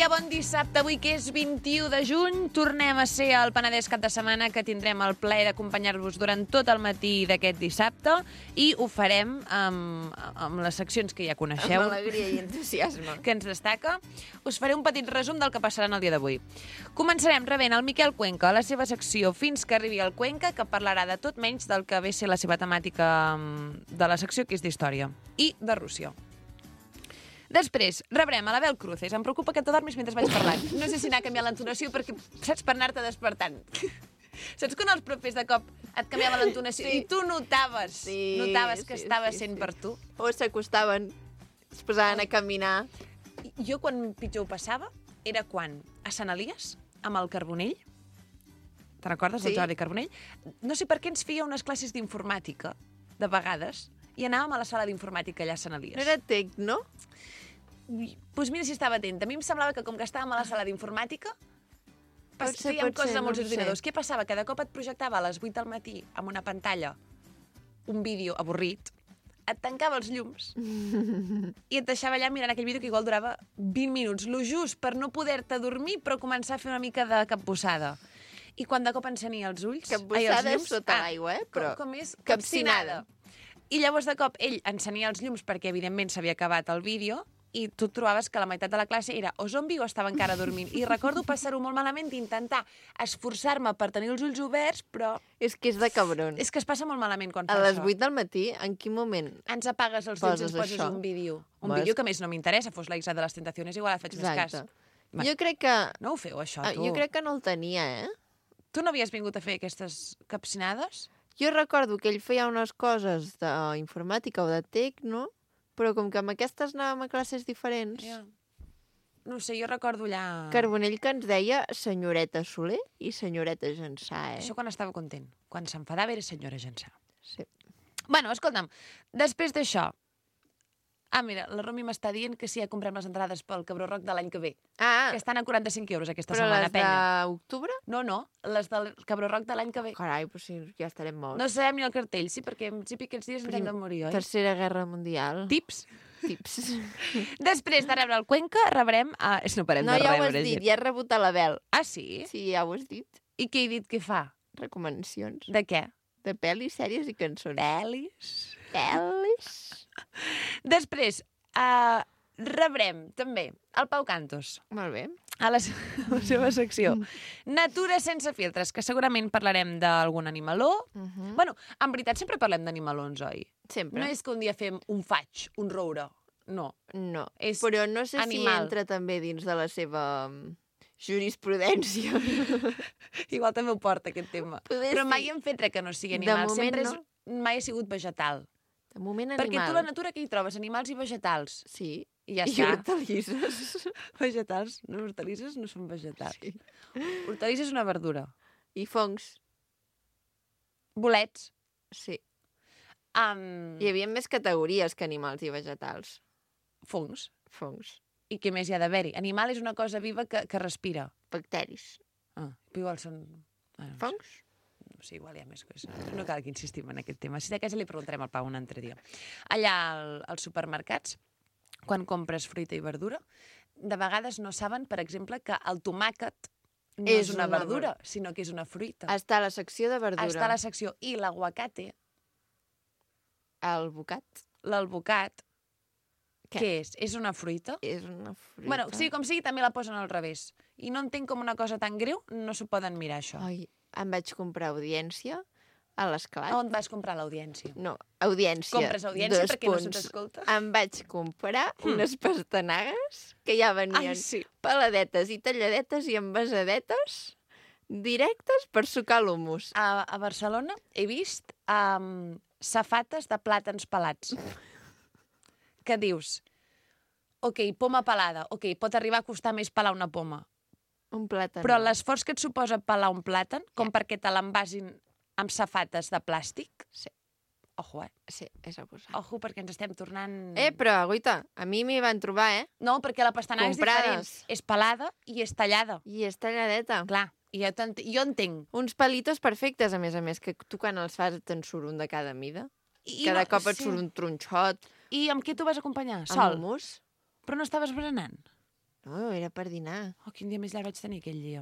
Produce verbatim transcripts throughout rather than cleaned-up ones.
dia, bon dissabte, avui que és vint-i-u de juny. Tornem a ser al Penedès cap de setmana, que tindrem el plaer d'acompanyar-vos durant tot el matí d'aquest dissabte, i ho farem amb, amb les seccions que ja coneixeu. Amb alegria i entusiasme. Que ens destaca. Us faré un petit resum del que passarà en el dia d'avui. Començarem rebent el Miquel Cuenca a la seva secció Fins que arribi el Cuenca, que parlarà de tot menys del que ve a ser la seva temàtica de la secció, que és d'història, i de Rússia. Després, rebrem a l'Abel Cruces. Em preocupa que t'adormis mentre vaig parlant. No sé si anar a canviar l'entonació perquè, saps, per anar-te despertant. Saps quan els profes de cop et canviava l'entonació sí. i tu notaves, sí, notaves que sí, estava sí, sent sí. per tu? O s'acostaven, es posaven a caminar. Jo, quan pitjor ho passava, era quan a Sant Elies, amb el Carbonell, te recordes, sí. el Jordi Carbonell? No sé per què ens feia unes classes d'informàtica, de vegades, i anàvem a la sala d'informàtica allà a Sant Elies. No era tec, no? Doncs pues mira si estava atenta. A mi em semblava que com que estàvem a la sala d'informàtica ser, fèiem coses ser, amb els no ordinadors. Què passava? Que de cop et projectava a les vuit del matí amb una pantalla un vídeo avorrit, et tancava els llums i et deixava allà mirant aquell vídeo que igual durava vint minuts, lo just per no poder-te dormir però començar a fer una mica de capbussada. I quan de cop encenia els ulls... Capbussada és sota l'aigua, eh? Però com, com és? Capcinada. I llavors de cop ell encenia els llums perquè evidentment s'havia acabat el vídeo i tu trobaves que la meitat de la classe era o zombi o estava encara dormint. I recordo passar-ho molt malament d'intentar esforçar-me per tenir els ulls oberts, però... És que és de cabron. És que es passa molt malament quan fa això. A les això. vuit del matí, en quin moment ens apagues els llums i ens poses això? un vídeo. Un Vas... vídeo que més no m'interessa, fos la Isla de les Tentaciones, igual et faig Exacte. més cas. Jo crec que... No ho feu, això, tu? Jo crec que no el tenia, eh? Tu no havies vingut a fer aquestes capcinades? Jo recordo que ell feia unes coses d'informàtica o de tec, no? Però com que amb aquestes anàvem a classes diferents... Yeah. No sé, jo recordo allà... Carbonell que ens deia senyoreta Soler i senyoreta Jansà, eh? Això quan estava content. Quan s'enfadava era senyora Jansà. Sí. Bueno, escolta'm, després d'això... Ah, mira, la Romi m'està dient que sí, ja comprem les entrades pel Cabró Rock de l'any que ve. Ah! Que estan a quaranta-cinc euros aquesta però setmana, penya. Però les d'octubre? No, no, les del Cabró Rock de l'any que ve. Carai, però si ja estarem morts. No sabem ni el cartell, sí, perquè en principi aquests dies ens hem de morir, oi? Tercera Guerra Mundial. Tips? Tips. Després de rebre el Cuenca, rebrem... A... No parem no, de ja rebre. ho has dit, ja has rebut a l'Abel. Ah, sí? Sí, ja ho has dit. I què he dit que fa? Recomanacions. De què? De pel·lis, sèries i cançons. Pel·lis? Pel·lis. Després, uh, rebrem també el Pau Cantos. Molt bé. A la, a la seva secció. Natura sense filtres, que segurament parlarem d'algun animaló. Uh -huh. Bueno, en veritat sempre parlem d'animalons, oi? Sempre. No és que un dia fem un faig, un roure. No. No. És però no sé animal. si entra també dins de la seva jurisprudència. Igual també ho porta, aquest tema. Poder però sí. mai hem fet res que no sigui animal. De moment sempre no. és, mai ha sigut vegetal. De moment animal. Perquè tu la natura que hi trobes? Animals i vegetals. Sí. I ja I està. hortalisses. Vegetals? No, hortalisses no són vegetals. Sí. Hortalisses és una verdura. I fongs. Bolets. Sí. Um... Hi havia més categories que animals i vegetals. Fongs. Fongs. I què més hi ha d'haver-hi? Animal és una cosa viva que, que respira. Bacteris. Ah, igual són... Bueno, fongs? No sé, igual hi ha més coses. No cal que insistim en aquest tema. Si de casa li preguntarem al Pau un altre dia. Allà al, als supermercats, quan compres fruita i verdura, de vegades no saben, per exemple, que el tomàquet no és, és una, una verdura, ver... sinó que és una fruita. Està a la secció de verdura. Està a la secció. I l'aguacate... El bocat. L'albocat, què? què és? És una fruita? És una fruita. Bueno, sigui com sigui, també la posen al revés. I no entenc com una cosa tan greu no s'ho poden mirar, això. Ai, em vaig comprar audiència a l'Esclat. On vas comprar l'audiència? No, audiència. Compres audiència Dos perquè punts. no se t'escolta? Em vaig comprar hmm. unes pastanagues que ja venien Ai, sí. peladetes i talladetes i envasadetes directes per sucar l'humus. A, a Barcelona he vist um, safates de plàtans pelats. Que dius, ok, poma pelada, ok, pot arribar a costar més pelar una poma. Un plàtan. Però l'esforç que et suposa pelar un plàtan, com yeah. perquè te l'envasin amb safates de plàstic... Sí. Ojo, eh? Sí, és abusat. Ojo, perquè ens estem tornant... Eh, però, guaita, a mi m'hi van trobar, eh? No, perquè la pastanaga Comprades. És diferent. És pelada i és tallada. I és talladeta. Clar, i jo, jo entenc. Uns palitos perfectes, a més a més, que tu quan els fas te'n surt un de cada mida. I cada no, cop et sí. surt un tronxot. I amb què t'ho vas acompanyar? Amb Sol? hummus. Però no estaves berenant? No, era per dinar. Oh, quin dia més llarg vaig tenir aquell dia.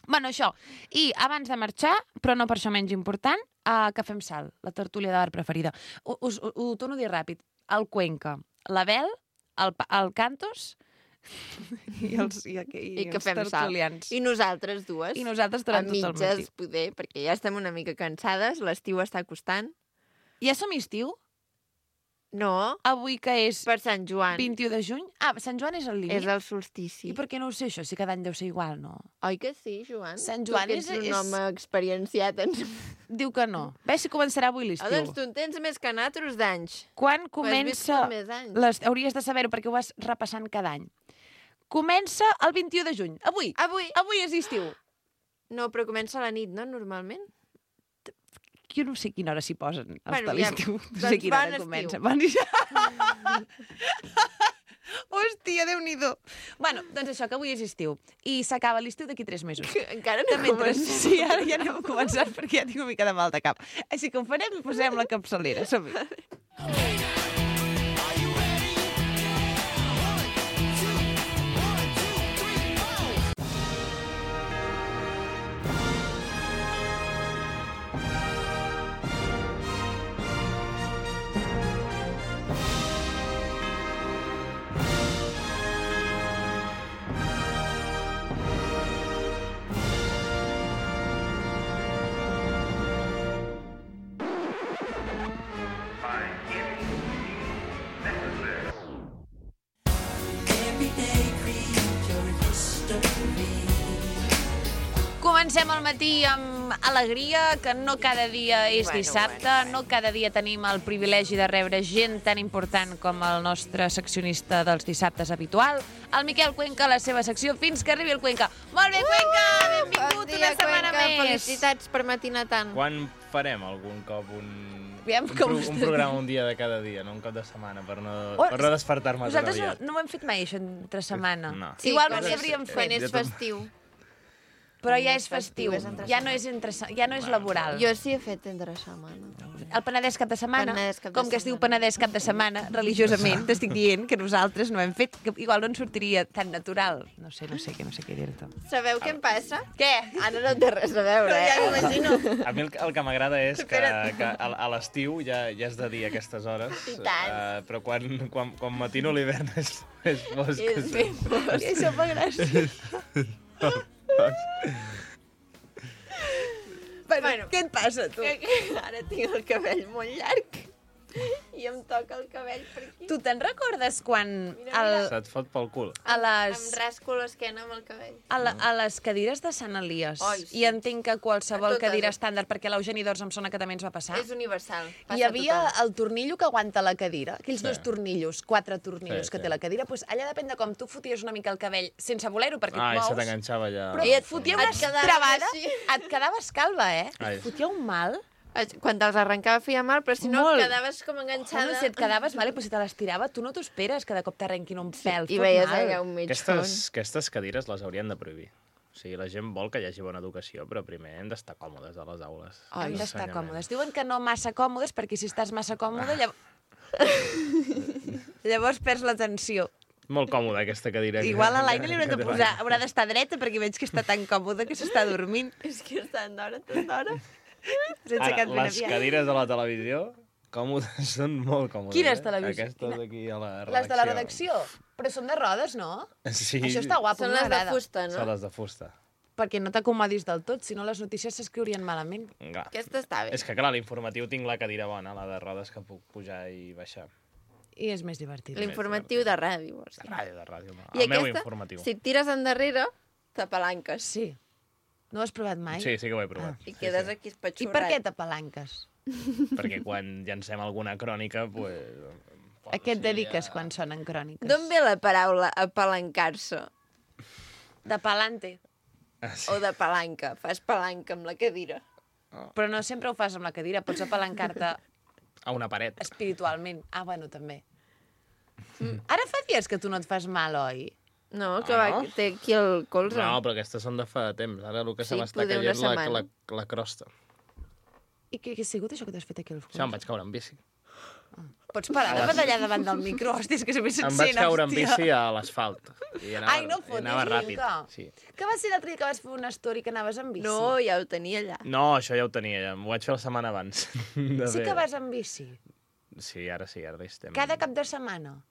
Bueno, això. I abans de marxar, però no per això menys important, uh, que fem sal, la tertúlia de bar preferida. Ho, us, ho, ho torno a dir ràpid. El Cuenca, l'Abel, el, el Cantos i els, i, i, I que els fem sal. tertulians. I nosaltres dues. I nosaltres durant a tot el matí. mitges, poder, perquè ja estem una mica cansades, l'estiu està costant. Ja som estiu? No, Avui que és per Sant Joan. vint-i-u de juny? Ah, Sant Joan és el límit? És el solstici. I per què no ho sé, això? Si cada any deu ser igual, no? Oi que sí, Joan? Sant Tu Joan que ets és- un és- home experienciat. Ens... Diu que no. Ves si començarà avui l'estiu. Ah, doncs tu en tens més que nosaltres d'anys. Quan Ho has comença... viscut més anys. Les... Hauries de saber-ho perquè ho vas repassant cada any. Comença el vint-i-u de juny. Avui. Avui? Avui és estiu. No, però comença a la nit, no? Normalment. Jo no sé a quina hora s'hi posen els Bueno, de ja- l'estiu. No doncs sé a quina bon hora estiu. comença. Bon estiu. Hòstia, Déu-n'hi-do. Bueno, doncs això, que avui és estiu. I s'acaba l'estiu d'aquí tres mesos. Encara no Mentre... comença. Sí, ara ja anem a començar perquè ja tinc una mica de mal de cap. Així que ho farem i posem la capçalera. Som-hi. Comencem el matí amb alegria, que no cada dia és Bueno, dissabte, bueno, bueno. no cada dia tenim el privilegi de rebre gent tan important com el nostre seccionista dels dissabtes habitual, el Miquel Cuenca, a la seva secció, fins que arribi el Cuenca. Molt bé, Cuenca! Benvingut Bon dia, una setmana Cuenca. més! Felicitats per matinar tant. Quan farem algun cop un, Aviam un, com pro, està un programa un dia de cada dia, no un cop de setmana, per no, Oh, per no despertar-me tan Nosaltres no, aviat? no ho hem fet mai, això, entre setmana. No. Sí, Igual no quan ho és- sabríem Quan fer, és Jo tam- festiu. però quan ja és és festiu, festiu, és entre ja no és, entre, se- ja no és laboral. Jo sí he fet entre setmana. El Penedès cap de setmana, Penedès cap de com que es diu setmana. Penedès cap de setmana, religiosament, t'estic dient que nosaltres no hem fet, que igual no ens sortiria tan natural. No sé, no sé, que no sé què dir-te. Sabeu què em passa? Què? Ara no té res a veure, Ja eh? m'imagino. A mi el, que- el que m'agrada és que, Espera't. que a, a l'estiu ja, ja és de dia a aquestes hores, I tant. eh, però quan, quan, quan matino l'hivern és, és fosc. És ben fosc. I això fa gràcia. Bueno, Bueno. què et passa, tu? Ara tinc el cabell molt llarg i em toca el cabell per aquí. Tu te'n recordes quan Mira, el, Se't fot pel cul. a, Em les, rasco l'esquena amb el cabell. a, la, a les cadires de Sant Elies, Ai, sí. i entenc que qualsevol A totes. cadira estàndard, perquè l'Eugeni d'Ors em sona que també ens va passar, És universal. Passa hi havia a tothom. el tornillo que aguanta la cadira, aquells Sí. dos tornillos, quatre tornillos Sí, que sí. té la cadira, doncs allà depèn de com tu foties una mica el cabell sense voler-ho, perquè Ai, et se mous, t'enganxava allà. però I et et- fotia et una quedaves travada, així. et quedaves calva, eh? Ai. Et fotia un mal. Quan te'ls arrencava feia mal, però si no Molt. quedaves com enganxada. Home, si et quedaves, vale, però si te les tirava, tu no t'ho esperes que de cop t'arrenquin un pèl. I fot veies mal. allà un mig front. Aquestes, aquestes cadires les haurien de prohibir. O sigui, la gent vol que hi hagi bona educació, però primer hem d'estar còmodes a les aules. Hem Ai, d'estar Ensenyament. còmodes. Diuen que no massa còmodes, perquè si estàs massa còmode, llavors... llavors perds l'atenció. Molt còmoda, aquesta cadira. Igual a l'Aina li haurem de que té posar, l'Aina. haurà d'estar dreta, perquè veig que està tan còmode que s'està dormint. És que estan d'hora, tot d'hora. Sense Ara, cap les cadires de la televisió, còmodes, són molt còmodes. Quines eh? televisió- Aquestes quina- aquí a la redacció. Les de la redacció. Però són de rodes, no? Sí. Això està guapo, Són les de m'agrada. fusta, Són no? les de fusta. Perquè no t'acomodis del tot, si no les notícies s'escriurien malament. Clar. Aquesta està bé. És que, clar, l'informatiu tinc la cadira bona, la de rodes que puc pujar i baixar. I és més divertit. L'informatiu de ràdio, vols De dir. ràdio, de ràdio. No. I El meu aquesta, informatiu. si et tires endarrere, t'apalanques. Sí. No ho has provat mai? Sí, sí que ho he provat. I Sí, quedes sí. aquí I espatxurrat. per què t'apalanques? Perquè quan llancem alguna crònica, pues, A què et dediques quan sonen cròniques? D'on ve la paraula apalancar-se? De palante. Ah, sí. O de palanca? Fas palanca amb la cadira. Però no sempre ho fas amb la cadira, pots apalancar-te A una paret. espiritualment. Ah, bueno, també. Mm. Ara fa dies que tu no et fas mal, oi? No, que Ah, va, no? que té aquí el colze. No, però aquestes són de fa temps. Ara el que se Sí, m'està poder una caient la, setmana. la, la crosta. I què, què ha sigut això que t'has fet aquí al Això em fons? vaig caure en bici. Pots parar de batallar davant del micro? Hòstia, és que se m'hi Em vaig caure en hòstia. bici a l'asfalt. I anava, Ai, no i fotis, anava ràpid. Mica. Sí. Que va ser l'altre dia que vas fer una story que anaves amb bici? No, ja ho tenia allà. No, això ja ho tenia, ja. M'ho vaig fer la setmana abans. De Sí fer- que vas amb bici. Sí, ara sí, ara hi estem. Cada cap de setmana.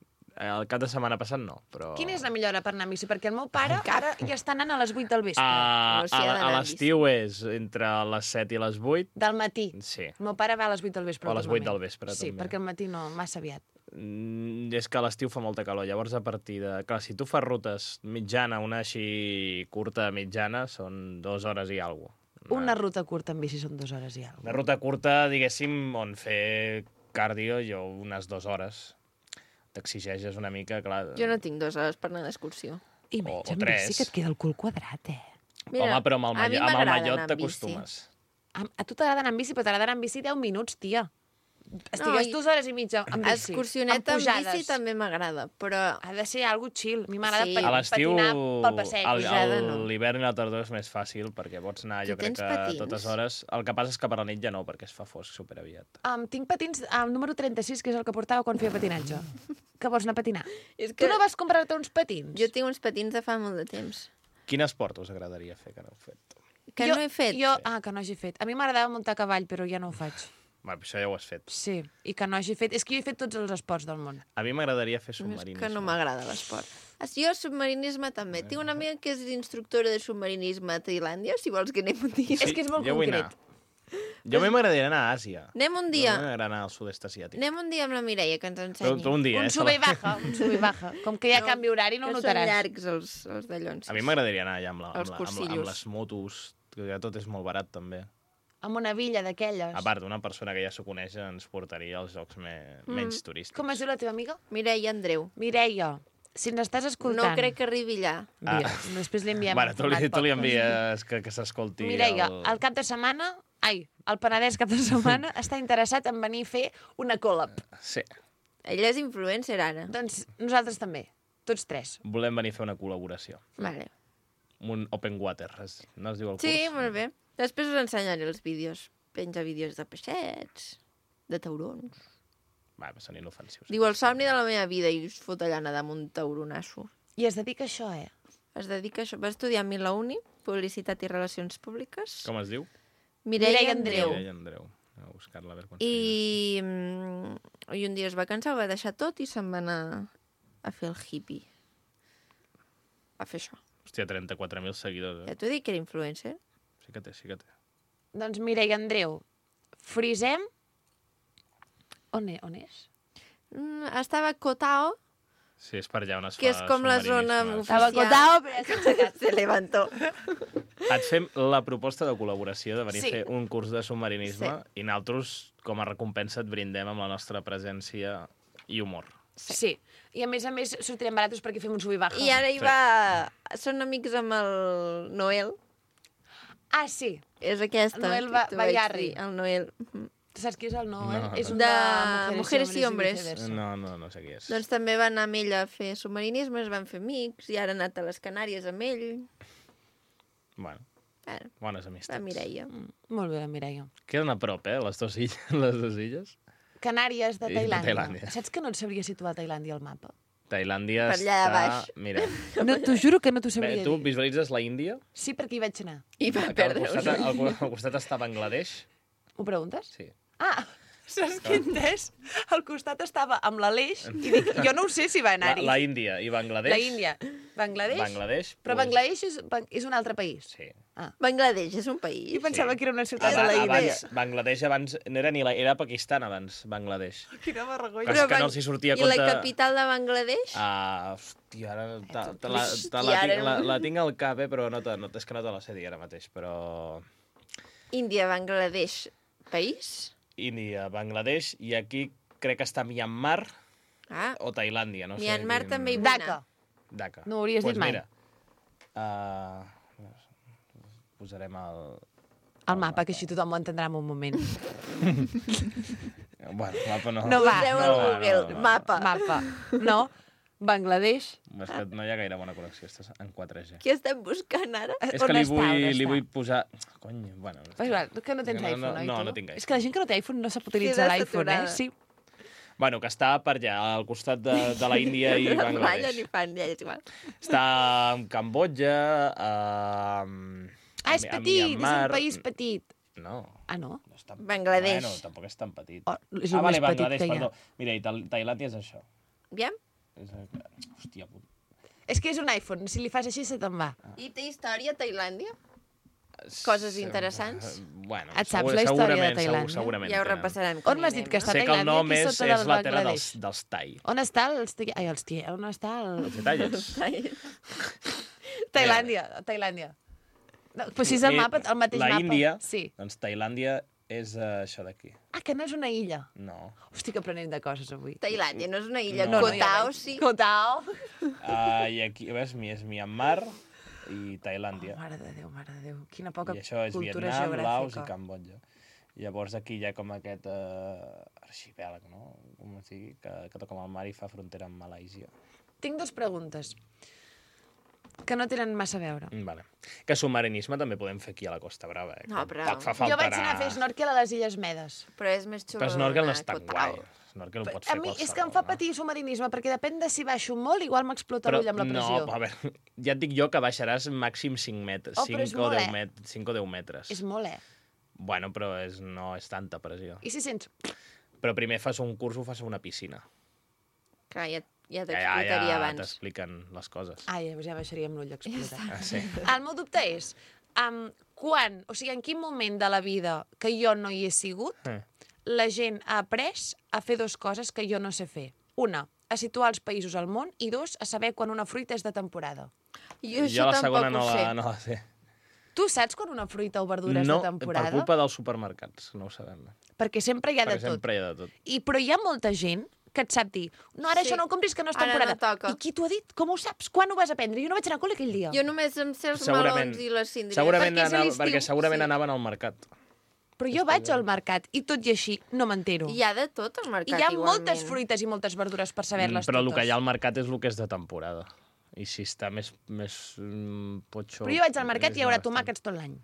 El cap de setmana passat no, però... Quina és la millor hora per anar amb bici? Perquè el meu pare ara ja està anant a les vuit del vespre. A, No s'hi ha a, d'anar a amb l'estiu és entre les set i les vuit. Del matí. Sí. El meu pare va a les vuit del vespre. O a les vuit normalment. del vespre, Sí, també. perquè al matí no, massa aviat. Mm, és que a l'estiu fa molta calor, llavors a partir de... Clar, si tu fas rutes mitjana, una així curta mitjana, són dues hores i alguna cosa. Una ruta curta amb bici són dues hores i alguna Una ruta curta, diguéssim, on fer cardio, jo unes dues hores. T'exigeixes una mica, clar... Jo no tinc dues hores per anar d'excursió. I O- menys o amb bici tres. que et queda el cul quadrat, eh? Home, però amb el, a mi mallot, amb el m'agrada mallot anar amb bici. t'acostumes. A, a tu t'agrada anar amb bici, però t'agrada anar amb bici deu minuts, tia. Estigues i- dues hores i mitja amb bici. Excursioneta amb, pujades. bici també m'agrada, però Ha de ser algo chill. A mi m'agrada Sí. sí. A l'estiu, patinar pel passeig. al- pujada, al- no. l'hivern i la tardor és més fàcil, perquè pots anar, Tu jo crec tens que patins? totes hores. El que passa és que per la nit ja no, perquè es fa fosc superaviat. Um, tinc patins al número trenta-sis, que és el que portava quan feia patinatge. Que vols anar a patinar? és Tu no vas comprar-te uns patins? jo tinc uns patins de fa molt de temps. Quin esport us agradaria fer que no heu fet? Que jo, no he fet. Jo, ah, que no hagi fet. A mi m'agradava muntar a cavall, però ja no ho faig. Va, això ja ho has fet. Sí, i que no hagi fet... És que jo he fet tots els esports del món. A mi m'agradaria fer És submarinisme. que no m'agrada l'esport. Ah, sí, jo submarinisme també. Tinc una amiga que és instructora de submarinisme a Tailàndia, si vols que anem un dia. És que és molt jo vull concret. anar. Jo a mi m'agradaria anar a Àsia. Anem un Jo dia. m'agradaria anar al sud-est asiàtic. Anem un dia amb la Mireia, que ens Però, ensenyi. però un dia, Un eh? sube i baja, un sube i baja. Com que hi ha No, canvi horari no ho que notaràs. són llargs els, els dallons. A mi m'agradaria anar allà amb, la, amb, Els la, amb, la, amb cursillos. les motos, que tot és molt barat també. Amb una villa d'aquelles. A part, una persona que ja s'ho coneix ens portaria als jocs me... Mm. menys turístics. Com es diu la teva amiga? Mireia Andreu. Mireia, si ens estàs No escoltant... crec que arribi allà. Mira, Ah. després li enviem Bueno, el tu li, format tu li podcast. envies que, que s'escolti Mireia, el... el cap de setmana... Ai, el Penedès cap de setmana està interessat en venir a fer una collab. Sí, Ella és influencer ara. Doncs nosaltres també, tots tres. volem venir a fer una col·laboració. Vale. Un open water, es- no es diu el curs? Sí, molt bé. Després us ensenyaré els vídeos. Penja vídeos de peixets, de taurons. Va, són inofensius. Diu el somni de la meva vida i us fot allà nedar amb un tauronasso. I es dedica a això, eh? Es dedica a això. Va estudiar a mi la uni, Publicitat i Relacions Públiques. Com es diu? Mireia Mireia Andreu. Andreu. Mireia Andreu. Anem a buscar-la a veure quan segueix. I, mm, I un dia es va cansar, ho va deixar tot i se'n va anar a fer el hippie. A fer això. Hòstia, trenta-quatre mil seguidors, Ja eh? t'ho he dit que era influencer. Sí que té, sí que té. Doncs Mireia Andreu, frisem... On, e on és? Mm, estava a Kotao, Sí, és per allà on es que fa és com la zona submarinisme. Estava oficial. Kotao, però ja s'ha aixecat. Se levantó. Et fem la proposta de col·laboració de venir Sí. a fer un curs de submarinisme Sí. i nosaltres, com a recompensa, et brindem amb la nostra presència i humor. Sí. I a més a més sortirem baratos perquè fem un sub i baja. I ara hi Sí. va... Són amics amb el Noel. Ah, sí. És aquesta. El Noel que Va- t'ho vaig Vallarri. dir, El Noel. Mhm. Tu saps qui és el Noel? No. És un De de, Mujeres y Hombres. viceversa. No, no, no sé qui és. Doncs també va anar amb ell a fer submarinisme, es van fer amics, i ara ha anat a les Canàries amb ell. Bueno, Ara, bones la amistats. Mireia. Mm, molt bé, la Mireia. Queden a prop, eh, les dues illes. Les dues illes. Canàries de I de Tailàndia. Tailàndia. Saps que no et sabria situar Tailàndia al mapa? Tailàndia Per allà està... baix. Mira, No, t'ho juro que no t'ho bé, sabria tu dir. visualitzes la Índia, Sí, perquè hi vaig anar. I va que al perdre costat, un al, al costat està Bangladesh. Ho preguntes? Sí. Ah, saps què he entès? Al costat estava amb l'Aleix i dic, jo no ho sé si va La, anar-hi. la Índia i Bangladesh. La Índia. Bangladesh? Bangladesh. Però pues, Bangladesh és, és un altre país. Sí. Bangladesh és un país. Jo pensava Sí. que era una ciutat de Abans, la Índia. abans, Bangladesh abans... No era ni la... Era Pakistan abans, Bangladesh. Quina vergonya. Però és que no els hi sortia a I la compte- capital de Bangladesh? Ah, hòstia, ara te, te la, Hòstia, te la, ara- tinc, la, la tinc al cap, eh, però no, te, no, és que no te la sé dir ara mateix, però... Índia, Bangladesh, país? Índia, Bangladesh, i aquí crec que està Myanmar Ah, o Tailàndia, no sé. Myanmar quin- també hi vull Dhaka. anar. Dhaka. No ho hauries pues dit mai. Mira, uh, posarem el... El mapa, que així tothom ho entendrà en un moment. Bueno, mapa no. No va. Poseu no al va, Google, no va. mapa. Mapa. No? Bangladesh. És que no hi ha gaire bona connexió, estàs en quatre G. Què estem buscant ara? És On que li està, vull, on li està? vull posar... Cony, bueno... És igual, que no tens No, no, iPhone, oi, no, tu? no tinc És que la gent que no té iPhone no sap utilitzar Queda l'iPhone, eh? saturada. Sí. Bueno, que està per allà, al costat de, de la Índia i No ballen Bangladesh. ni fan, ja és igual. Està en Cambodja, a... Ah, és petit, és un país petit. No. Ah, no? no és tan... Bangladesh. Bueno, tampoc és tan petit. Oh, és ah, el vale, més petit Bangladesh, que hi ha. perdó. Mira, i Tal- Tailàndia és això. Aviam. És... Hòstia, puta. És que és un iPhone, si li fas així se te'n va. I té història, Tailàndia? Coses interessants? Bueno, Et saps segur- la història de segurament, Tailàndia? segur- segurament. Ja ho tenen. repassarem. On m'has dit que està Sé que el Tailàndia, nom aquí és, sota del és la terra dels, Bangladesh? dels Tai. On està els... ti- Ai, els tia... On està el... Els detalles. Tailàndia, Tailàndia. No, però si és el mapa, el mateix la mapa. Índia, Sí. doncs Tailàndia és uh, això d'aquí. Ah, que no és una illa. No. Hosti, que aprenem de coses avui. Tailàndia no és una illa. No, no, Koh ja Tao, veig. sí. Koh Tao. Uh, I aquí, ves, mi és Myanmar i Tailàndia. Oh, mare de Déu, mare de Déu. Quina poca I això és cultura Vietnam, geogràfica. Laos i Cambodja. Llavors aquí hi ha com aquest uh, arxipèlag, no? Com es digui, que, que toca amb el mar i fa frontera amb Malàisia. Tinc dues preguntes que no tenen massa a veure. Mm, Vale. Que submarinisme també podem fer aquí a la Costa Brava, eh? No, que però- Poc fa falta Jo vaig anar a fer snorkel a les Illes Medes. Però és més xulo. Però snorkel no és anar a tan Koh Tao. guai. Snorkel ho pots A fer mi qualsevol. és que em fa patir submarinisme, perquè depèn de si baixo molt, igual m'explota l'ull amb la pressió. No, a veure, ja et dic jo que baixaràs màxim cinc metres, Oh, però és cinc o molt, deu eh? met cinc o deu metres. És molt, eh? Bueno, però és, no és tanta pressió. I si sents... Però primer fas un curs o fas una piscina. Clar, ja, ja Ja, ja, t'explicaria ja abans. t'expliquen les coses. Ai, llavors ja baixaria amb l'ull explotat. Ah, sí. El meu dubte és, um, quan, o sigui, en quin moment de la vida que jo no hi he sigut, Eh. la gent ha après a fer dues coses que jo no sé fer. Una, a situar els països al món, i dos, a saber quan una fruita és de temporada. Jo jo això la tampoc segona no ho sé. la, no la sé. Tu saps quan una fruita o verdura és No, de temporada? per culpa dels supermercats, no ho sabem. Perquè sempre hi ha Perquè de tot. sempre hi ha de tot. I, però hi ha molta gent que et sap dir no, ara Sí. això no ho compris, que no és Ara no temporada. toca. I qui t'ho ha dit? Com ho saps? Quan ho vas aprendre? Jo no vaig anar a col·le aquell dia. Jo només em sé els Segurament, melons i les síndries. segurament Perquè és a anava, l'estiu, perquè segurament sí. anaven al mercat. Però jo vaig al mercat i tot i així no m'entero. Hi ha de tot al I mercat, hi ha igualment. moltes fruites i moltes verdures per saber-les Mm, Però el totes. que hi ha al mercat és el que és de temporada. I si està més, més mm, potxo... Però jo vaig al mercat és i hi haurà bastant. tomàquets tot l'any.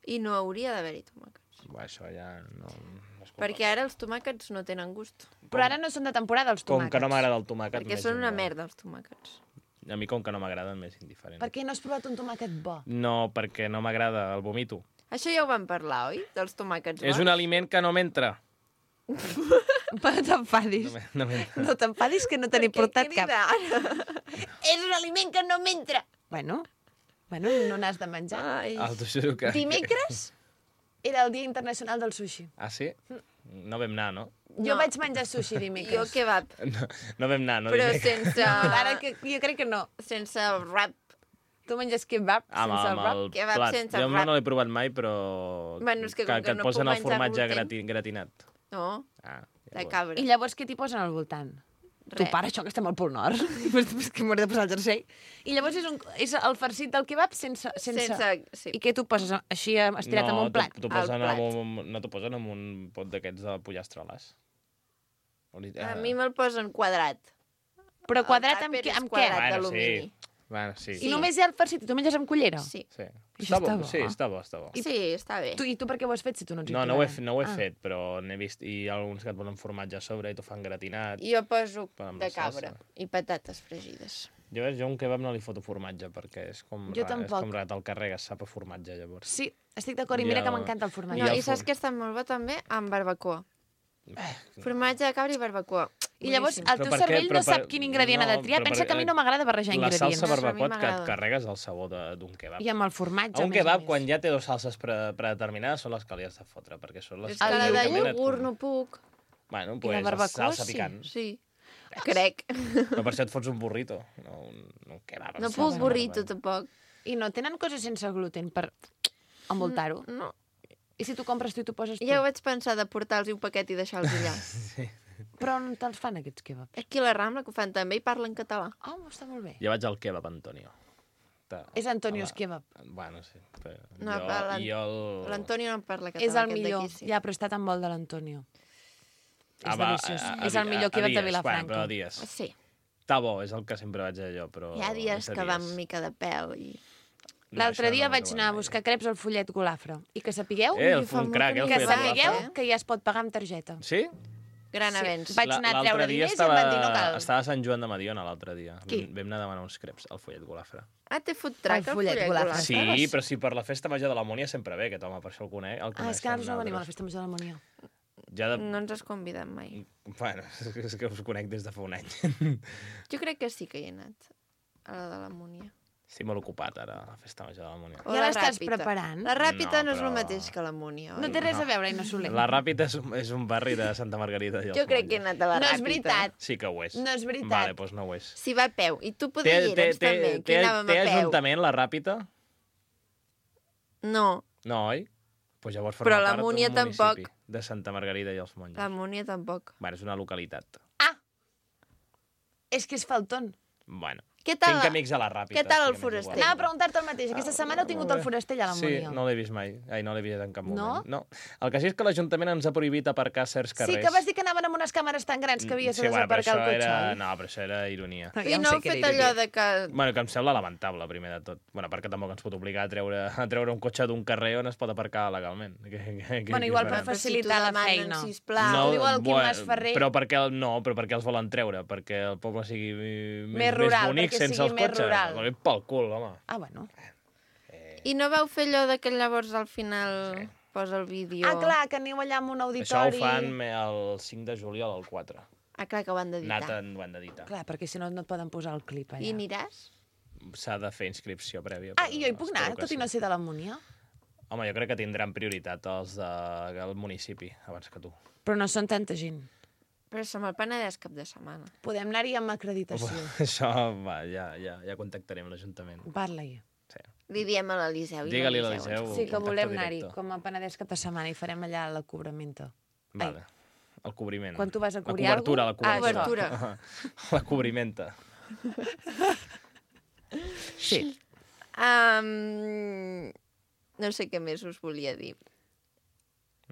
I no hauria d'haver-hi tomàquets. Bé, això ja no... no és culpa Perquè ara els tomàquets no tenen gust. Però ara no són de temporada els Com tomàquets. que no m'agrada el tomàquet... Perquè m'és són una igual. merda, els tomàquets. A mi, com que no m'agraden, m'és indiferent. Per què no has provat un tomàquet bo? No, perquè no m'agrada, el vomito. Això ja ho vam parlar, oi? Dels tomàquets bons. És un aliment que no m'entra. No t'enfadis. No, m'en- no m'entra. No t'enfadis que no te n'he Per què portat cap. crida ara? És un aliment que no m'entra. Bueno, bueno, no n'has de menjar. Ai. Ah, t'ho juro que... Dimecres era el Dia Internacional del Sushi. Ah, sí? No vam anar, no? Jo No. vaig menjar sushi Jo dimecres. kebab, No, no vam anar, no? però dimecres. sense... Ara que jo crec que no. Sense wrap. Tu menges kebab Amb, sense amb wrap. el Kebab plat. sense Jo wrap. no l'he provat mai, però... Bueno, és que com que que et no posen puc el menjar formatge gluten. grati, gratinat. No, Ah, de llavors. cabra. I llavors què t'hi posen al voltant? Tu, Res. para, això que estem al Pol Nord. És que m'hauré de posar el jersei. I llavors és, un, és el farcit del kebab sense... sense... Sense... Sí. I què t'ho poses així estirat no, en un plat? t'ho Al posen plat. amb un, no t'ho posen amb un pot d'aquests de pollastre-les. A mi me'l posen quadrat. Però quadrat El amb, tàper què- és amb què? quadrat. Bueno, d'alumini. sí. Bueno, sí. I Sí. només hi ha el farcit i tu menges amb cullera? Sí. sí. Això Està bo, està bo. sí, està bo, està bo. Sí, està bé. Tu, I tu per què ho has fet si tu no ets No, no ho he, intolerant? fe- no ho he Ah. fet, però n'he vist... I hi ha alguns que et posen formatge a sobre i t'ho fan gratinat. Jo poso Però amb de la salsa. cabra i patates fregides. Jo, ves, jo un kebab no li foto formatge, perquè és com, Jo ra- és tampoc. com rat, el carregues, sap a formatge, llavors. Sí, estic d'acord. I I mira el- que m'encanta el formatge. No, el i saps forn. que està molt bo també? Amb barbacoa. Formatge de cabra i barbacoa. I llavors Boníssim. el teu Però per què? cervell Però no sap per- quin ingredient ha de no, triar. però Pensa per- que a mi no m'agrada barrejar La ingredients. salsa A mi barbacoa que et m'agrada. carregues el sabor de- d'un kebab. I amb el formatge, A a un més a kebab, més. quan ja té dues salses pre predeterminades, són les que li has de fotre, perquè són les És que que la de teòricament et iogurt com- no puc. Bueno, I pues, la barbacoa, salsa sí. picant. Sí, crec. Però per això et fots un burrito, no un, un kebab. No amb puc salsa burrito, normal. tampoc. I no tenen coses sense gluten per envoltar-ho? No. I si tu compres tu i tu poses tu? Ja ho vaig pensar de portar-los un paquet i deixar-los allà. Sí. Però on te'ls fan, aquests kebabs? Aquí a la Rambla, que ho fan també, i parlen català. Oh, està molt bé. Jo vaig al kebab, Antonio. Ta- És Antonio's a la- Kebab. Bueno, sí. Però No, jo, però l'An- jo el... L'Antonio no en parla català. És el aquest millor. d'aquí, sí. Ja, però està tan bo el de l'Antonio. És Ah, va, deliciós. a- a- És el a- millor a kebab de dies, Vilafranca. Bueno, però a dies. Sí, Està bo, és el que sempre vaig a jo, però... hi ha dies és a que va amb mica de pèl i... No, L'altre això dia no vaig m'ho anar a trobat buscar creps al Follet Golafre. I que sapigueu, mai. Eh, el Ui, fa un molt crac, que eh, el no que hi follet vaig, sapigueu Golafre. eh? que ja es pot pagar amb targeta. Sí? Gran Sí. avenç. Vaig La- anar a l'altre treure dia diners i estava, em van dir no cal. Estava a Sant Joan de Mediona l'altre dia. Qui? Vam anar a demanar uns creps al Follet Golafre. Ah, té food truck, El el follet follet Golafre. Golafre. Sí, Estaves? però si per la festa major de la Múnia sempre ve aquest home, per això el conec. El Ah, és que nosaltres no venim a la festa major de la Monia. Ja de... No ens has convidat mai. Bueno, és que us conec des de fa un any. Jo crec que sí que hi he anat, a la de la Múnia. Estic molt ocupat ara, a la festa major de la Múnia. O Ja la l'estàs Ràpita. preparant? La Ràpita No, no, és el però- mateix que la Múnia, oi? No té res a veure, i no Soler. La Ràpita és, un- és un barri de Santa Margarida. I els Jo crec que he Monjos. anat a la No Ràpita. és veritat. Sí que ho és. No és veritat. Vale, doncs no ho és. Si va a peu. I tu Té, poder hi té, eres té, també, que té, hi anàvem té a peu. ajuntament, la Ràpita? No, No, oi? Pues llavors Però forma la part d'un Múnia municipi tampoc. de Santa Margarida i els Monjos. la Múnia tampoc. Bueno, és una localitat. Ah! És que és faltón. Bueno, Què tal? tinc amics a la Ràpita. Què tal el estic amics foraster? igual. Anava a preguntar-te el mateix. Aquesta setmana heu tingut el forastell a la Sí, Monia. no l'he vist mai. Ai, no l'he vist en cap moment. No? No? El que sí és que l'Ajuntament ens ha prohibit aparcar certs Sí, carrers. que vas dir que anaven amb unes càmeres tan grans que havies Sí, de bueno, però desaparcar el això cotxe. era... oi? No, però això era ironia. No, I ja ho no sé heu que fet era allò ironia. de que... Bueno, que em sembla lamentable, primer de tot. Bueno, perquè tampoc ens pot obligar a treure, a treure un cotxe d'un carrer on es pot aparcar legalment. Que, que, que, Bueno, igual que per farem? Però si facilitar t'ho la demanen, feina. sisplau. Ho diu el Quim bueno, Masferrer. Però perquè, el- no, però perquè els volen treure? Perquè el poble sigui més, Més rural, més bonic perquè sense sigui els més cotxes. rural. Pel pel cul, home. Ah, bueno. I no vau fer allò de que llavors al final sí. posa el vídeo... Ah, clar, que aneu allà amb un Això auditori. ho fan me- el cinc de juliol al quatre. Ah, clar, que ho han d'editar. Nata ho han d'editar. Clar, perquè si no no et poden posar el clip allà. I aniràs? S'ha de fer inscripció prèvia. Ah, però i jo hi puc anar, espero que tot i sí. no ser de la Monia? Home, jo crec que tindran prioritat els de- del municipi, abans que tu. Però no són tanta gent. Però som al Penedès cap de setmana. Podem anar-hi amb acreditació. Això, va, ja, ja, ja contactarem l'Ajuntament. Parla-hi. Sí. Li diem a l'Eliseu. i Digue-li a l'Eliseu l'Eliseu. ens- Sí, que contacte volem anar-hi, directe. com a Penedès cap de setmana, i farem allà la cobramenta. Vale. El cobriment. Quan tu vas a La cobrir cobertura, la algú- Ah, cobertura. això. La cobrimenta. Sí. Um, no sé què més us volia dir.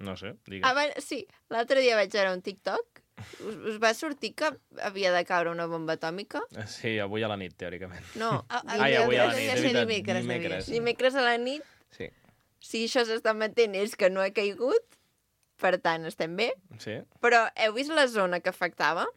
No sé, digues. Abans, sí, l'altre dia vaig veure un TikTok. Us, us va sortir que havia de caure una bomba atòmica? Sí, avui a la nit, teòricament. No, Ah, ah, Ai, avui a la devia nit, ser de veritat, dimecres, devia dimecres. ser. dimecres a la nit. Sí, Si això s'està emetent és que no ha caigut, per tant, estem bé. sí. Però heu vist la zona que afectava?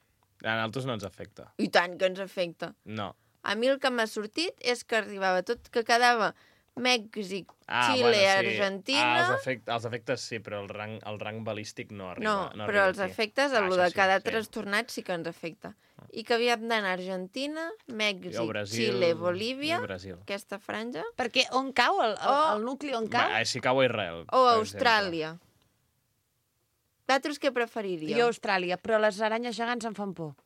A nosaltres no ens afecta. I tant que ens afecta. No. A mi el que m'ha sortit és que arribava tot, que quedava Mèxic, Ah, Xile, bueno, sí. Argentina... Ah, els, efect, els efectes sí, però el rang, el rang balístic no arriba. No, no però arriba els aquí. efectes, Ah, el això de sí, cada sí. trastornat sí que ens afecta. I que havíem d'anar a Argentina, Mèxic, Jo, Brasil, Xile, Bolívia, i Brasil. aquesta franja, Perquè on cau? El, el, O- el nucli on cau? Va, si cau a Israel. o per Austràlia. Vosaltres què preferiríeu? Jo Austràlia, però les aranyes gegants em fan por. exemple.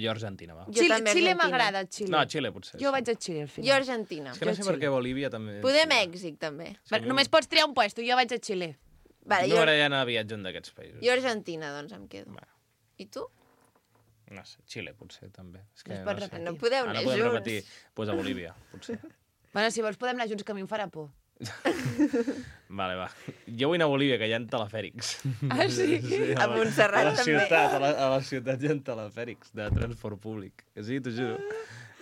Jo Argentina, va. Jo Xile, també Xile Argentina. m'agrada, Xile. No, Xile potser. Jo sí. vaig a Xile al Jo final. Argentina. És que no Jo sé per Xile. què Bolívia també... Poder sí. Mèxic, també. És que Va, a mi només pots triar un puesto, jo vaig a Xile. Vale, No jo, m'agrada anar a viatjar un d'aquests països. jo Argentina, doncs em quedo. Va. I tu? No sé, Xile potser també. És que No es no, pot sé. repetir. No podeu Ah, anar no podem junts. repetir. Doncs pues a Bolívia, potser. Bueno, si vols podem anar junts, que a mi em farà por. Vale, va. Jo vull anar a Bolívia, que hi ha telefèrics. Ah, sí? A Montserrat a la també. ciutat, a la, a la ciutat hi ha telefèrics de transport públic. Que sí, t'ho juro.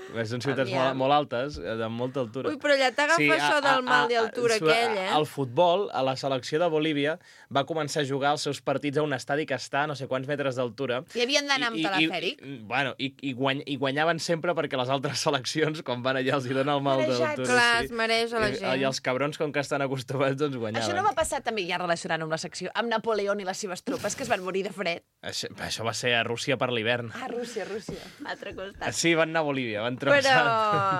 Perquè són ciutats molt, Aviam. molt altes, eh, de molta altura. Ui, però allà t'agafa això del mal de altura aquell, eh? El futbol, a la selecció de Bolívia, va començar a jugar els seus partits a un estadi que està a no sé quants metres d'altura. I havien d'anar amb I- i- telefèric? I, bueno, i, i, guany, i guanyaven sempre perquè les altres seleccions, quan van allà, els hi dona el mal Marejats. d'altura. Clar, es mereix a la I, gent. I els cabrons, com que estan acostumats, doncs guanyaven. Això no va passar també, ja relacionant amb la secció, amb Napoleó i les seves tropes, que es van morir de fred. Això, això va ser a Rússia per l'hivern. Ah, Rússia, Rússia. Altre costat. Sí, van anar a Bolívia, van travessar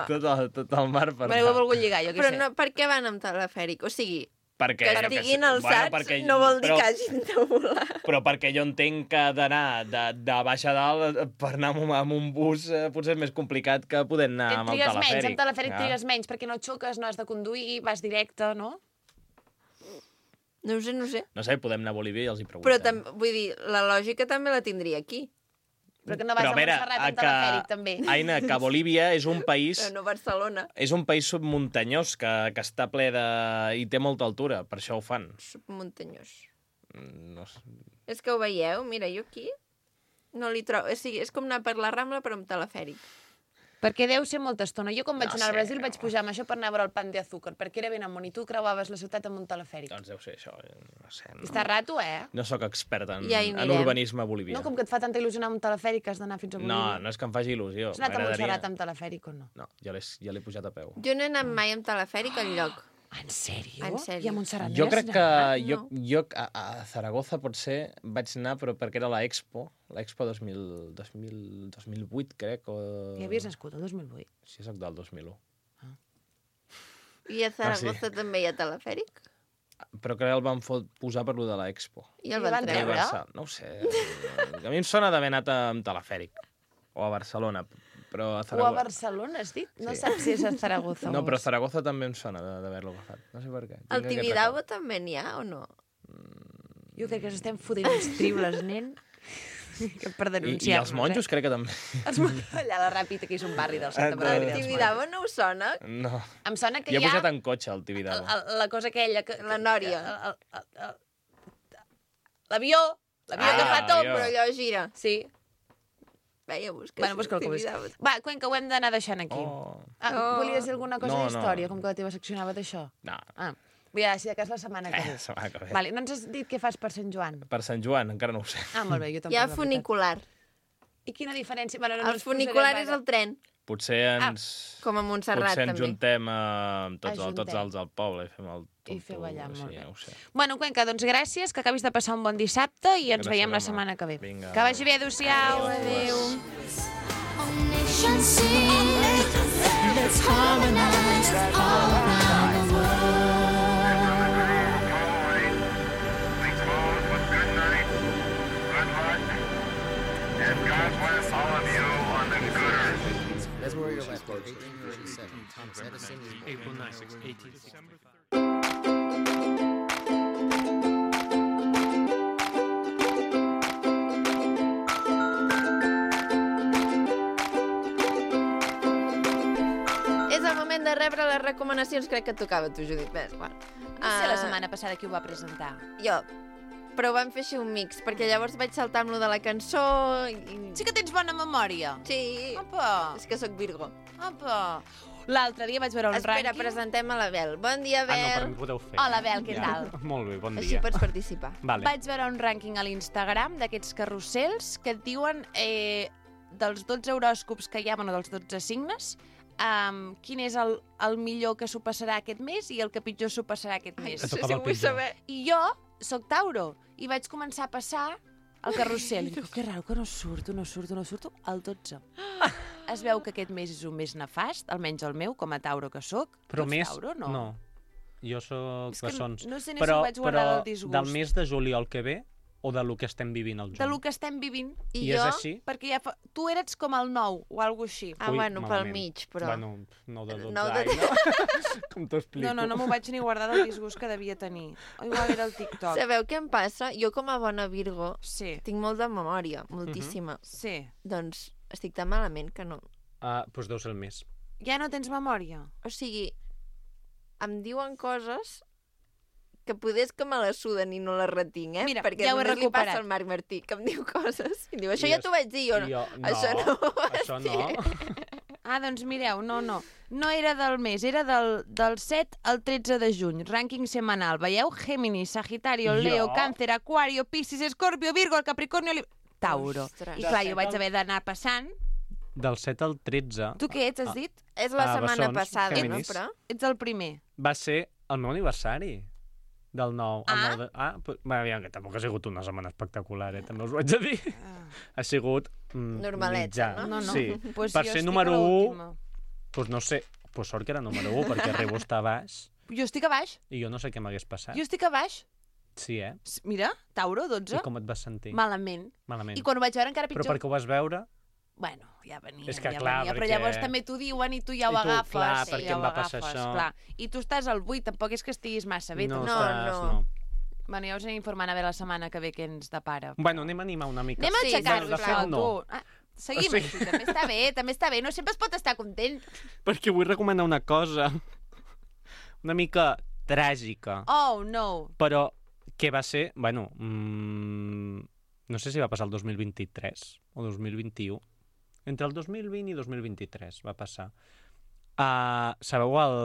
Però- tot, el, tot el mar per Me l'he anar. volgut lligar, jo què Però sé. no, per què van amb telefèric? O sigui, Perquè, que jo què estiguin sé, alçats perquè- no vol dir però, que hagin de volar. Però perquè jo entenc que d'anar de, de baix a dalt eh, per anar amb, un- amb un bus eh, potser és més complicat que poder anar amb el Trigues menys, telefèric. amb telefèric Ja. trigues menys, perquè no xoques, no has de conduir, vas directe, no? No ho sé, no ho sé. No sé, podem anar a Bolívia i els hi preguntem. Però tam, vull dir, la lògica també la tindria aquí. Però que no vas Però a Montserrat amb que, telefèric, també. Aina, que Bolívia és un país... Però no Barcelona. És un país submuntanyós que, que està ple de... i té molta altura, per això ho fan. Submuntanyós. Mm, No sé. És que ho veieu? Mira, jo aquí no li trobo... O sigui, és com anar per la Rambla però amb telefèric. Perquè deu ser molta estona. Jo, quan vaig No anar al sé, Brasil, no. vaig pujar amb això per anar a veure el Pan de Azúcar, perquè era ben amunt, i tu creuaves la ciutat amb un telefèric. Doncs deu ser això, no sé. No, Està rato, eh? no sóc expert en, Ja hi en anirem. urbanisme bolivià. No, com que et fa tanta il·lusió anar amb un telefèric que has d'anar fins a no, Bolívia. no és que em faci il·lusió. Has anat a M'agradaria- Montserrat amb telefèric o no? No, ja l'he ja l'he pujat a peu. Jo no he anat mai amb telefèric enlloc. En sèrio? En sèrio. I a Montserrat Jo no hi has crec que anat? jo, jo a, a Zaragoza potser vaig anar, però perquè era l'Expo, l'Expo dos mil, dos mil, dos mil vuit, crec, o... Ja havies nascut, el dos mil vuit. Sí, soc del dos mil u. I a Zaragoza Ah, sí. també hi ha telefèric? Però crec que el van fot posar per lo de l'Expo. I el I van van treure? treure? Barça- No ho sé. A mi em sona d'haver anat amb telefèric. O a Barcelona, però a O a Zaragoza... Barcelona, has dit? No Sí. saps si és a Zaragoza No, o però a és- Zaragoza també em sona de- d'haver-lo agafat. No sé per què. Tinc Al aquest Tibidabo record. també n'hi ha o no? Jo crec que ens estem fotent uns tribles, nen. Que per I, denunciar-nos, I els monjos crec que també. Eh? Els monjos. Allà a la Ràpita, que és un barri del Santa Ah, Maria. de- dels Tibidabo no us sona? No. Em sona que Jo he hi ha pujat en cotxe al Tibidabo. el- el- la cosa aquella... Que, La nòria. que- el- el- el- L'avió, l'avió Ah, que fa tot, l'avió. però... Però allò gira. Sí. Veia, busca. Bueno, busca el que busques. Va, Cuenca, ho hem d'anar deixant aquí. Oh. Ah, Oh. volies dir alguna cosa No, d'història, no. com que la teva secció anava d'això? No. Ah, ja, si de cas la setmana que Eh, ve. setmana que ve. Vale, no ens has dit què fas per Sant Joan? Per Sant Joan, encara no ho sé. Ah, molt bé, jo tampoc. Hi ha la veritat. funicular. I quina diferència? Bueno, no El ens posarem funicular ara. és el tren, Potser ens... com a Montserrat, Potser ens també. juntem amb tots, el, Ajuntem. tots els del poble i fem el tonto. I feu allà, sí, molt bé. no ho sé. Bueno, Cuenca, doncs gràcies, que acabis de passar un bon dissabte i ens Gràcies, veiem la home. setmana que ve. Vinga. Que vagi bé, adéu-siau. Adéu. Nation sing, let's harmonize all around the world. Please close with good night, good luck, and God bless all of you on the good earth. That's where you're left there, eighteen thirty-seven. Thomas Edison is born. April ninth, eighteen sixty. És el moment de rebre les recomanacions. Crec que et tocava a tu, Judit. Bé, bueno. No sé la Ah, setmana passada qui ho va presentar. Jo. Però vam fer així un mix, perquè llavors vaig saltar amb lo de la cançó i... Sí que tens bona memòria. Sí. Apa, És que sóc Virgo. apa. L'altre dia vaig veure un Espera, rànquing. presentem a la Bel. Bon dia, Ah, no, per Bel. mi podeu fer. Hola, Bel, què Ja. tal? Molt bé, bon Així dia. pots participar. Vale. Vaig veure un rànquing a l'Instagram d'aquests carrusels que et diuen eh, dels dotze horòscops que hi ha, bueno, dels dotze signes, um, quin és el, el millor que s'ho passarà aquest mes i el que pitjor s'ho passarà aquest Ai, mes. no sé tocava si el ho vull pitjor. saber. I jo sóc Tauro i vaig començar a passar el carrusel. I dic, que raro que no surto, no surto, no surto. El dotze. Es veu que aquest mes és un mes nefast, almenys el meu, com a Tauro que sóc. Però Tu ets més... Tauro, no? no. Jo sóc És que bessons. no sé ni però, si ho vaig guardar però del disgust. del mes de juliol que ve o de lo que estem vivint al juny? De lo que estem vivint. I, I jo... és així? Perquè ja fa... tu eres com el nou o alguna així. Ah, Ui, bueno, pel malament. mig, però... Bueno, no de dotze No de- anys, no? Com t'ho explico? No, no, no m'ho vaig ni guardar del disgust que devia tenir. O igual era el TikTok. Sabeu què em passa? Jo, com a bona Virgo, Sí, tinc molt de memòria, moltíssima. sí. Doncs estic tan malament que no... Ah, doncs deu ser el mes. Ja no tens memòria? O sigui, em diuen coses que poder és que me les suden i no les retinc, eh? Mira, Perquè ja ho he només li recuperat. passa al Marc Martí, que em diu coses. I diu, això I ja és- t'ho vaig dir jo. I jo, no, Això no ho vas això no. dir. Ah, doncs mireu, no, no. No era del mes, era del, del set al tretze de juny. Rànquing setmanal. Veieu? Géminis, Sagitario, Jo? Leo, Càncer, Aquario, Piscis, Escorpio, Virgo, el Capricornio, Lib... Tauro. Ostres. I clar, jo vaig haver d'anar passant. Del set al tretze Tu què ets, has dit? És la Ah, setmana bessons, passada, Géminis. no? Però... Ets el primer. va ser el meu aniversari. Del nou. el Ah. nou de... ah però, bé, aviam, que tampoc ha sigut una setmana espectacular, eh? També us ho haig de dir. Ha sigut mm, Normaleta, mitjà. no? No, no. Sí. Pues per jo ser estic número a u, l'última. doncs no sé, pues sort que era número u, perquè Rebo està a baix Jo estic a baix. i jo no sé què m'hagués passat. Jo estic a baix. Sí, eh? S- Mira, Tauro, dotze. I com et vas sentir? Malament. Malament. I quan ho vaig veure encara Però pitjor. perquè ho vas veure... Bueno, ja venia, És que ja clar, venia. Però perquè- llavors també t'ho diuen i tu ja ho I tu, agafes. clar, i perquè ja em ho va passar agafes, això. Clar. I tu estàs al vuit, tampoc és que estiguis massa bé. no, tampoc. No, estàs, no. no. Bueno, ja us aniré informant a veure la setmana que ve què ens depara. Bueno, anem a animar una mica. Anem a Sí, aixecar-nos, bueno, de sisplau, fet, no. tu. Ah, seguim O sigui- així, també està bé, també està bé. No sempre es pot estar content. Perquè vull recomanar una cosa una mica tràgica, Oh, no. però que va ser, bueno, mmm, no sé si va passar el dos mil vint-i-tres o dos mil vint-i-u. entre el dos mil vint i dos mil vint-i-tres va passar. Uh, sabeu el,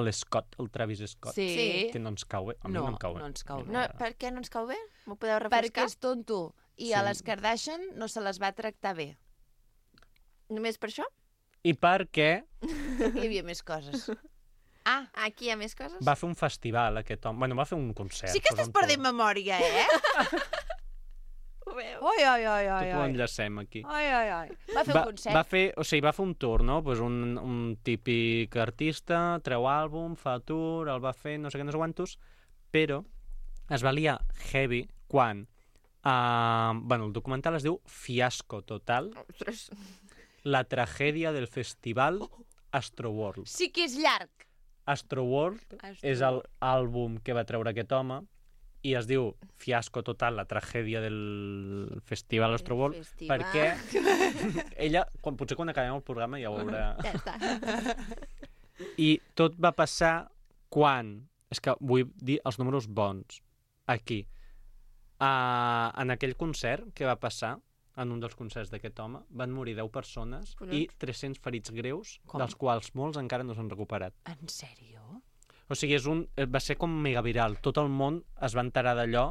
el Scott, el Travis Scott? Sí. Sí. Que no ens cau bé. A mi No, no em cau bé. no ens cau bé. No, per què no ens cau bé? M'ho podeu Perquè refrescar? és tonto. I Sí. a les Kardashian no se les va tractar bé. Només per això? I perquè Hi havia més coses. Ah, Aquí hi ha més coses? va fer un festival, aquest home. Bueno, va fer un concert. sí que pues, estàs un perdent tour. memòria, eh? Ho veu? Oi, oi, oi, oi, Tot ho oi. enllacem aquí. Oi, oi, oi. Va fer Va, un concert. va fer, o sigui, va fer un tour, no? Pues un, un típic artista, treu àlbum, fa tour, el va fer, no sé què, no sé quantos, però es va liar heavy quan... Uh, bueno, el documental es diu Fiasco Total, Ostres. la tragèdia del festival Astroworld. Sí que és llarg. Astroworld Astroworld. és el àlbum que va treure aquest home i es diu Fiasco Total, la tragèdia del festival Astroworld, festival. perquè ella, quan, potser quan acabem el programa ja ho veurà. Ja està. I tot va passar quan... És que vull dir els números bons. Aquí. Uh, en aquell concert que va passar, en un dels concerts d'aquest home, van morir deu persones Collons. i tres-cents ferits greus, Com? dels quals molts encara no s'han recuperat. En sèrio? O sigui, és un, va ser com mega viral. Tot el món es va enterar d'allò.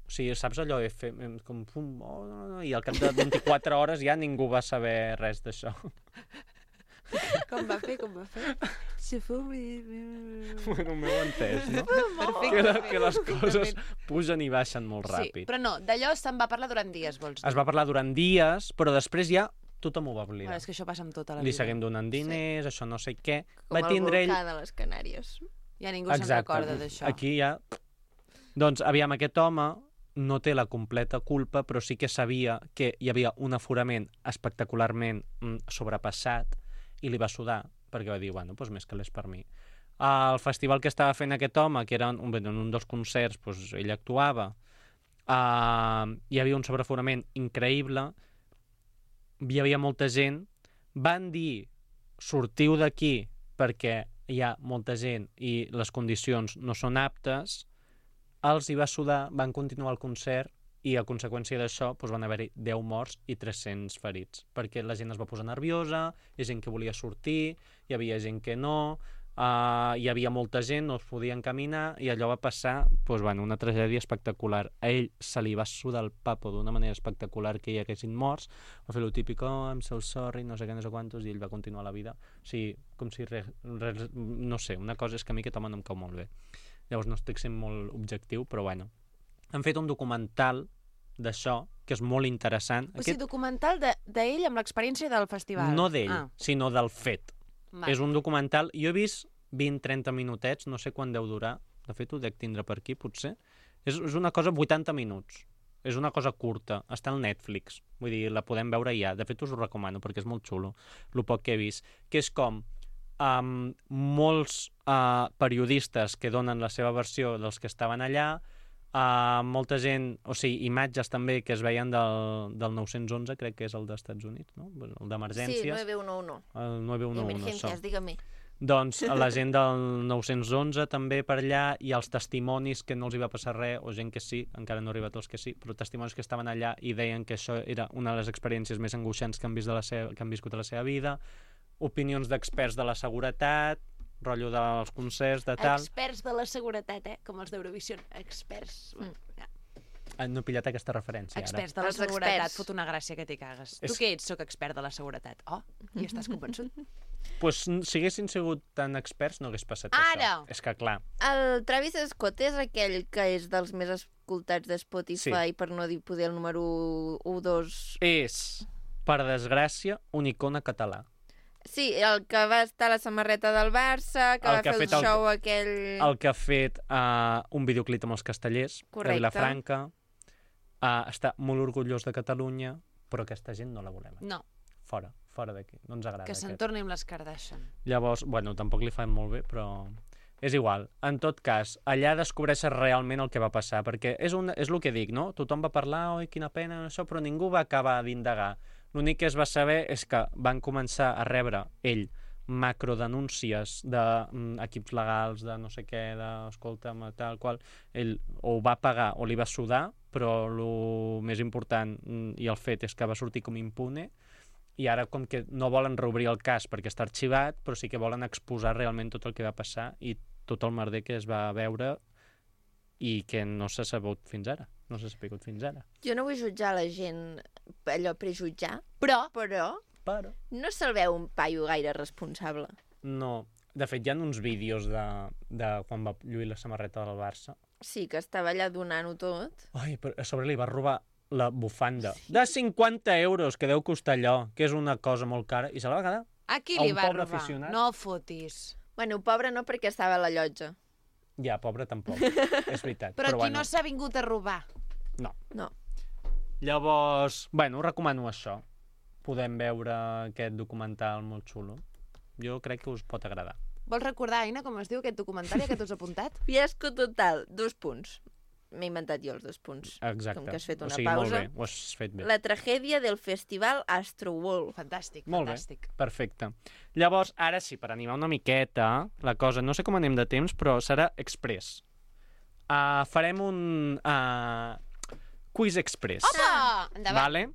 O sigui, saps allò? F, com, pum, oh, no, no, I al cap de vint-i-quatre hores ja ningú va saber res d'això. Com va fer, com va fer? Si fou... Bueno, m'heu entès, no? Perfecte. Que, la, que les coses pugen i baixen molt Sí, ràpid. però no, d'allò se'n va parlar durant dies, vols dir? Es va parlar durant dies, però després ja tothom ho va Bueno, oblidar. és que això passa amb tota la Li vida. seguim donant diners, això no sé què. Com Va el tindre ell... volcà de les Canàries. Ja ningú se'n recorda d'això. Aquí ja... Doncs, aviam, aquest home no té la completa culpa, però sí que sabia que hi havia un aforament espectacularment mm, sobrepassat i li va sudar, perquè va dir, bueno, doncs més que l'és per mi. El festival que estava fent aquest home, que era un, en un dels concerts, doncs ell actuava, uh, hi havia un sobreaforament increïble, hi havia molta gent, van dir, sortiu d'aquí perquè hi ha molta gent i les condicions no són aptes, els hi va sudar, van continuar el concert i a conseqüència d'això doncs van haver-hi deu morts i tres-cents ferits, perquè la gent es va posar nerviosa, hi ha gent que volia sortir, hi havia gent que no, uh, hi havia molta gent, no es podien caminar, i allò va passar doncs, bueno, una tragèdia espectacular. A ell se li va sudar el papo d'una manera espectacular que hi haguessin morts, va fer lo típic, oh, I'm so sorry, no sé què, no sé quantos, i ell va continuar la vida. O sigui, com si res, res, no sé, una cosa és que a mi aquest home no em cau molt bé. Llavors no estic sent molt objectiu, però bueno. Han fet un documental d'això, que és molt interessant. O sigui, documental d'ell de, amb l'experiència del festival. No d'ell, Ah, sinó del fet. va. És un documental... Jo he vist vint trenta minutets, no sé quan deu durar. De fet, ho dec tindre per aquí, potser. És, és una cosa vuitanta minuts. És una cosa curta. Està al Netflix. Vull dir, la podem veure ja. De fet, us ho recomano, perquè és molt xulo. El poc que he vist. Que és com... Um, molts uh, periodistes que donen la seva versió dels que estaven allà, uh, molta gent, o sigui, imatges també que es veien del, del nou cents onze, crec que és el dels Estats Units, no? El Sí, d'emergències. nueve uno uno. El nueve uno uno, això. Emergencias, dígame. Doncs la gent del nou cents onze també per allà, i els testimonis que no els hi va passar res, o gent que sí, encara no ha arribat els que sí, però testimonis que estaven allà i deien que això era una de les experiències més angoixants que han, vist de la seva, que han viscut a la seva vida, opinions d'experts de la seguretat, rotllo dels concerts, de tal... Experts de la seguretat, eh? Com els d'Eurovisió. Experts. Mm. Ja. Ah, no he pillat aquesta referència, Experts ara. de la Els seguretat. experts. Fot una gràcia que t'hi cagues. És- Tu què ets? Soc expert de la seguretat. Oh, i estàs convençut? Pues, si haguessin sigut tan experts no hagués passat Ara! això. És que, clar, El Travis Scott és aquell que és dels més escoltats de Spotify, per no dir poder el número u, dos... és, per desgràcia, un icona català. Sí, el que va estar a la samarreta del Barça, que El va que ha fer el fet el- show aquell... El que ha fet uh, un videoclip amb els castellers, Correcte. de Vilafranca, uh, està molt orgullós de Catalunya, però aquesta gent no la volem. No, Fora, fora d'aquí. No ens agrada que se'n aquest. torni amb les Kardashian. Llavors, bueno, tampoc li fan molt bé, però és igual. En tot cas, allà descobreixes realment el que va passar, perquè és, un, és el que dic, no? Tothom va parlar, oi, quina pena, això, però ningú va acabar d'indagar. L'únic que es va saber és que van començar a rebre ell macrodenúncies d'equips mm, legals, de no sé què, de, escolta'm, tal qual, ell o va pagar o li va sudar, però el més important mm, i el fet és que va sortir com impune, I ara, com que no volen reobrir el cas perquè està arxivat, però sí que volen exposar realment tot el que va passar i tot el merder que es va veure i que no s'ha sabut fins ara. No s'ha sapigut fins ara. Jo no vull jutjar la gent, allò prejutjar, Però, però Però... no se'l veu un paio gaire responsable. No. De fet, hi ha uns vídeos de, de quan va lluir la samarreta del Barça. Sí, que estava allà donant-ho tot. Ai, però a sobre li va robar la bufanda de cinquanta euros, que deu costar allò, que és una cosa molt cara, i se la va quedar. a qui A li un va pobre robar? aficionat. No fotis. Bueno, pobre no, perquè estava a la llotja. Ja, pobre tampoc, és veritat. Però, Però aquí bueno, no s'ha vingut a robar. no. No. Llavors, bueno, us recomano això. Podem veure aquest documental molt xulo. Jo crec que us pot agradar. Vols recordar, Aina, com es diu aquest documentari que t'has apuntat? Fiasco total, dos punts. M'he inventat jo els dos punts. Exacte. Com que has fet una o sigui, pausa. Molt bé, ho has fet bé. La tragèdia del festival Astroworld. Fantàstic, Molt fantàstic. bé, perfecte. Llavors, ara sí, per animar una miqueta la cosa, no sé com anem de temps, però serà express. Uh, farem un uh, quiz express. Opa! Endavant. Vale?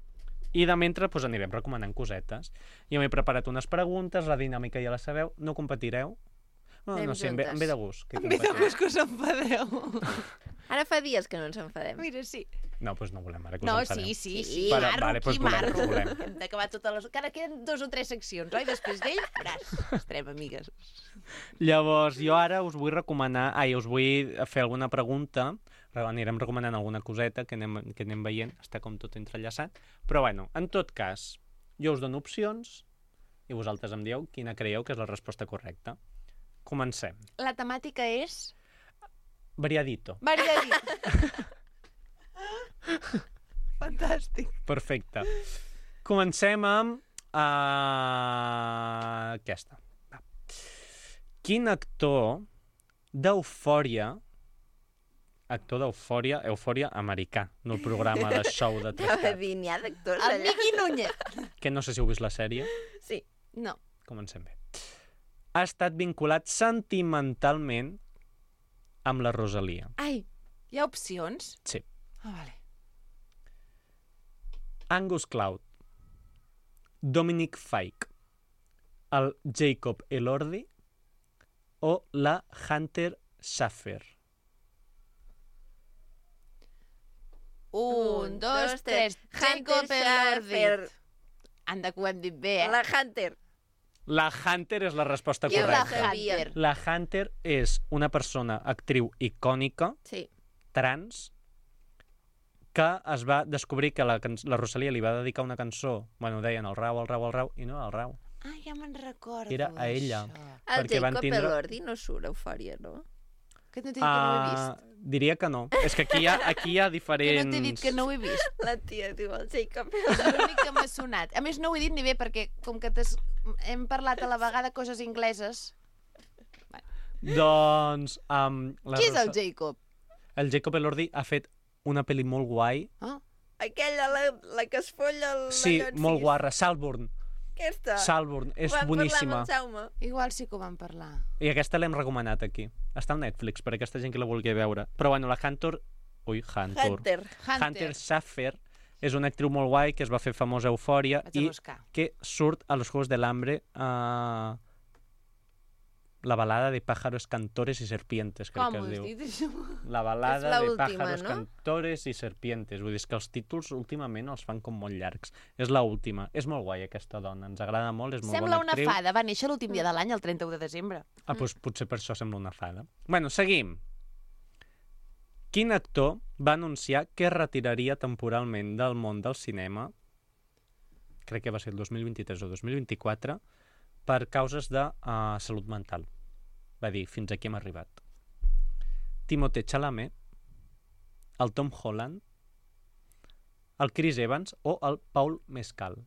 I de mentre doncs, anirem recomanant cosetes. Jo m'he preparat unes preguntes, la dinàmica ja la sabeu, no competireu? No, Anem no sé, em ve, juntes. em ve de gust. Que Em ve de competiu. gust que us enfadeu. Ara fa dies que no ens enfadem. Mira, sí. No, doncs no volem ara que us No, enfadeu. sí, sí, Sí. sí. Però, Marro, vale, doncs qui volem, marro. volem. Hem d'acabar totes les... Encara queden dos o tres seccions, oi? Després d'ell, veràs. Estarem amigues. Llavors, jo ara us vull recomanar... Ai, us vull fer alguna pregunta. Anirem recomanant alguna coseta que anem, que anem veient. Està com tot entrellaçat. Però, bueno, en tot cas, jo us dono opcions i vosaltres em dieu quina creieu que és la resposta correcta. Comencem. La temàtica és... Variadito. Variadit. Fantàstic. Perfecte. Comencem amb uh, aquesta. Va. Quin actor d'Eufòria, actor d'Eufòria, Eufòria americà, no el programa de show de tres Anava a caps, dir, n'hi ha d'actors El allà. Miqui Núñez. que no sé si heu vist la sèrie. Sí. No. Comencem bé. Ha estat vinculat sentimentalment amb la Rosalia. Ai, Hi ha opcions? Sí. Ah, vale. Angus Cloud, Dominic Fike, el Jacob Elordi o la Hunter Schafer. Un, dos, tres. Jacob Hunter Elordi. Schafer. Anda, que ho hem dit bé, eh? La Hunter. La Hunter és la resposta Qui és la correcta. Hunter? La Hunter és una persona, actriu icònica, Sí. trans, que es va descobrir que la, can- la Rosalia li va dedicar una cançó, bueno, deien el rau, el rau, el rau, i no era el rau. Ah, ja me'n recordo, Era a ella. això. El Perquè van Jacob tindre- Elordi no surt a Eufòria, no? Que no t'he dit que no ho he Ah, vist. diria que no. És que aquí hi ha, aquí hi ha Que diferents... no t'he dit que no ho he vist. La tia diu el Jacob És l'únic que m'ha sonat. A més, no ho he dit ni bé, perquè com que t'has- hem parlat a la vegada coses ingleses... Doncs... Um, la Qui és el Rosa- Jacob? El Jacob Elordi ha fet una pel·li molt guai. Ah, Aquella, la, la que es folla el Sí, mallot molt sis. guarra. Salborn. Aquesta. Salborn. És Vam boníssima. parlar amb el Jaume. igual sí que ho vam parlar. I aquesta l'hem recomanat aquí. Està al Netflix, per aquesta gent que la vulgui veure. Però bueno, la Hunter... Ui, Hunter. Hunter. Hunter. Hunter Schafer és una actriu molt guai que es va fer famosa a Eufòria Vaig a i buscar. que surt a los Juegos del Hambre uh, la balada de pájaros, cantores y serpientes, crec Com que ho es has diu. dit, això? La balada És de l'última, pájaros, no? cantores i serpientes. Vull dir és que els títols últimament els fan com molt llargs. És la última. És molt guai aquesta dona, ens agrada molt, és molt Sembla bona una actriu. fada. Va néixer l'últim dia de l'any, el trenta-u de desembre. Ah, doncs potser per això sembla una fada. Bueno, seguim. Quin actor va anunciar que es retiraria temporalment del món del cinema, crec que va ser el dos mil vint-i-tres o dos mil vint-i-quatre, per causes de uh, salut mental? Va dir, fins aquí hem arribat. Timothée Chalamet, el Tom Holland, el Chris Evans o el Paul Mescal.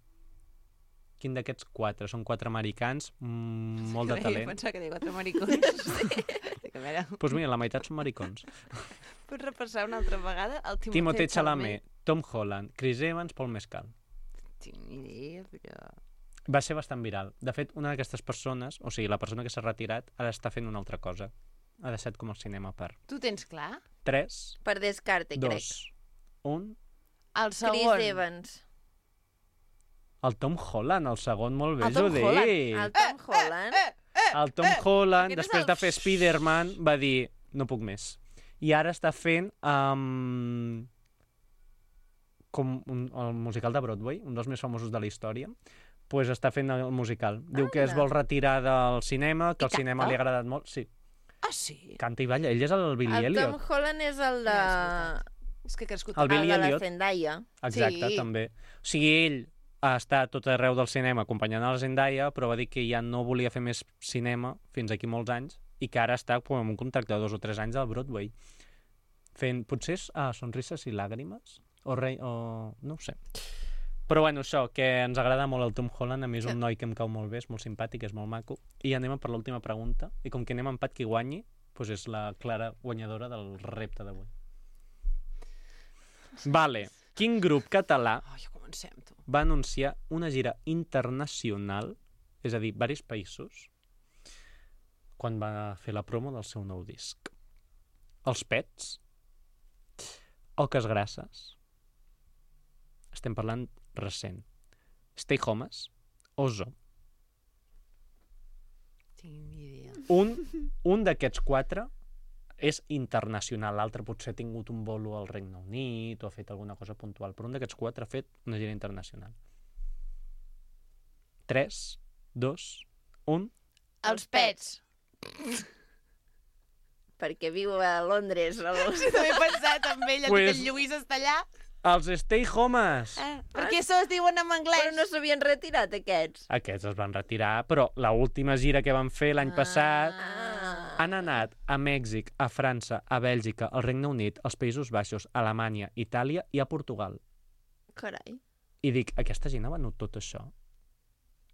Quin d'aquests quatre? Són quatre americans, mm, molt de talent. Pensava que deia quatre maricons. sí. A veure, Doncs pues mira, la meitat són maricons. pots repassar una altra vegada? El Timothée, Timothée Chalamet, Tom Holland, Chris Evans, Paul Mescal. Tinc ni idea, però... Va ser bastant viral. De fet, una d'aquestes persones, o sigui, la persona que s'ha retirat, ara està fent una altra cosa. Ha deixat com el cinema per Tu tens clar? tres, Per descarte, crec. dos, un... El Chris segon. Evans. El Tom Holland, el segon molt bé, El Tom Judit. Holland. El Tom Holland. El Tom Holland, Aquest és després el- de fer Spider-Man, va dir, no puc més. I ara està fent um, com un, el musical de Broadway, un dels més famosos de la història, pues està fent el musical. Diu que es Anda. vol retirar del cinema, que I el cinema canta? li ha agradat molt. Sí, Ah, sí? canta i balla. Ell és el Billy El Tom Elliot. Holland és el de... Ja, és que he crescut... El Billy el de la Elliot. Zendaya. Exacte, Sí. també. O sigui, ell ha estat tot arreu del cinema acompanyant a la Zendaya, però va dir que ja no volia fer més cinema fins aquí molts anys i que ara està com, amb un contracte de dos o tres anys al Broadway. Fent, potser és ah, Sonrises i Làgrimes? O, rei, o... no ho sé. Però bueno, això, que ens agrada molt el Tom Holland, a mi és un noi que em cau molt bé, és molt simpàtic, és molt maco. I anem per l'última pregunta, i com que anem a empat qui guanyi, doncs és la clara guanyadora del repte d'avui. Vale. Quin grup català Oh, ja comencem, tu. va anunciar una gira internacional, és a dir, diversos països, quan va fer la promo del seu nou disc? Els Pets? Oques Grasses? Estem parlant recent. Stay Homes? Ozo? Tinc ni idea. Un, un d'aquests quatre és internacional, l'altre potser ha tingut un bolo al Regne Unit o ha fet alguna cosa puntual, però un d'aquests quatre ha fet una gira internacional. tres, dos, un... Els Pets. Perquè viu a Londres. El... Sí, també he pensat en ell, Pues- pues... el Lluís està allà. Els Stay Homes! Eh? Per què això es diuen en anglès? Però no s'havien retirat, aquests. Aquests es van retirar, però l'última gira que van fer l'any passat Ah. han anat a Mèxic, a França, a Bèlgica, al Regne Unit, als Països Baixos, a Alemanya, Itàlia i a Portugal. Carai. I dic, aquesta gent ha venut tot això?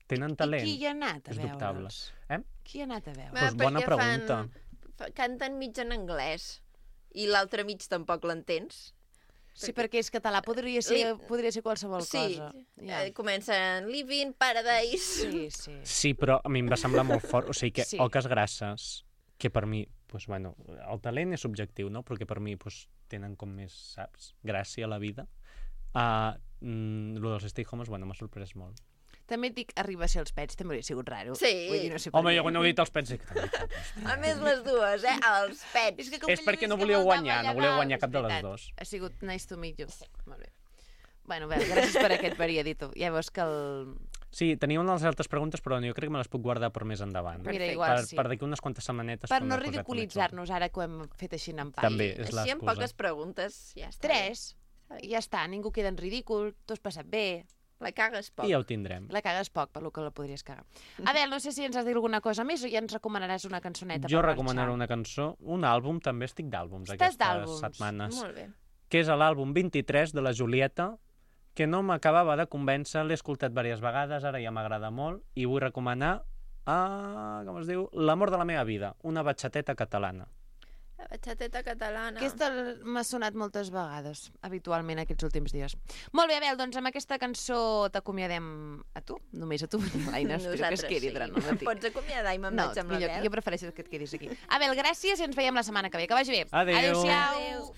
Tenen talent? I qui hi ha anat a És dubtable. veure'ls? Eh? Qui hi ha anat a veure'ls? Pues bona perquè pregunta. Fan, fa- canten mig en anglès i l'altre mig tampoc l'entens. Sí, perquè és català, podria ser, Li- podria ser qualsevol Sí, cosa. Ja. eh, comencen Living Paradise. Sí, sí. Sí, però a mi em va semblar molt fort. O sigui que Sí. Oques Grasses, que per mi, pues, bueno, el talent és subjectiu, no? Perquè per mi pues, tenen com més, saps, gràcia a la vida. Uh, mm, lo dels Stay Homes, bueno, m'ha sorprès molt. També et dic, arriba a ser els Pets, també hauria sigut raro. Sí. Vull dir, no sé per Home, què. jo quan heu dit els Pets... dic, A més, les dues, eh? Els pets. És, que com És que perquè Lluís no que volíeu voltava guanyar, no allà volíeu dalt, guanyar és cap de les veritat. dues. Ha sigut nice to meet you. Molt bé. Bueno, bé, gràcies per aquest veredicte. Ja veus que el... Sí, tenia unes altres preguntes, però jo crec que me les puc guardar per més endavant. Mira, Perfecte. igual per, sí. per d'aquí unes quantes setmanetes... Per quan no m'he posat una ridiculitzar-nos ara que ho hem fet així en examen. empat. També és Així amb l'excusa. poques preguntes, ja està. Tres. I ja està, ningú queda en ridícul, t'ho has passat bé, La cagues poc. I ja ho tindrem. la cagues poc, per lo que la podries cagar. Adel, no sé si ens has de dir alguna cosa més o ja ens recomanaràs una cançoneta Jo per recomanaré marxar. una cançó, un àlbum, també estic d'àlbums Estàs aquestes d'àlbums. setmanes, Molt bé. que és l'àlbum vint-i-tres de la Julieta, que no m'acabava de convèncer, l'he escoltat diverses vegades, ara ja m'agrada molt, i vull recomanar, a, com es diu, L'amor de la meva vida, una batxateta catalana. La batxateta catalana. Aquesta m'ha sonat moltes vegades, habitualment, aquests últims dies. Molt bé, Abel, doncs amb aquesta cançó t'acomiadem a tu, només a tu, l'Aina, espero que es quedi durant el Em matí. pots acomiadar i me'n No, vaig amb millor, l'Abel. jo prefereixo que et quedis aquí. Abel, gràcies i ens veiem la setmana que ve. Que vagi bé. Adéu. Adéu-siau. Adéu.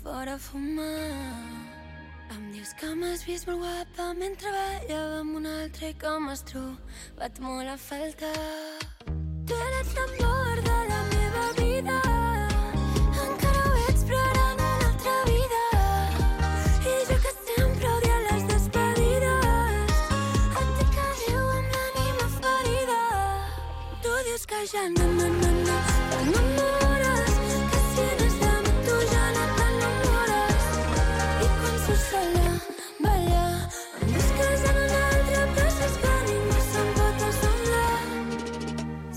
Fora a fumar. Em dius que m'has vist molt guapa mentre ballava amb un altre i que m'has trobat molt a faltar. Tu eres l'amor de la meva vida. Encara ho ets, però ara en una altra vida. I jo que sempre odia les despedides. Et dic adéu amb l'ànima ferida. Tu dius que ja no, no, no, no t'enamores, que si eres de mi tu ja no t'enamores. I quan surts sola, balla, em busques en un altre, però saps que ningú se'n pot assemblar.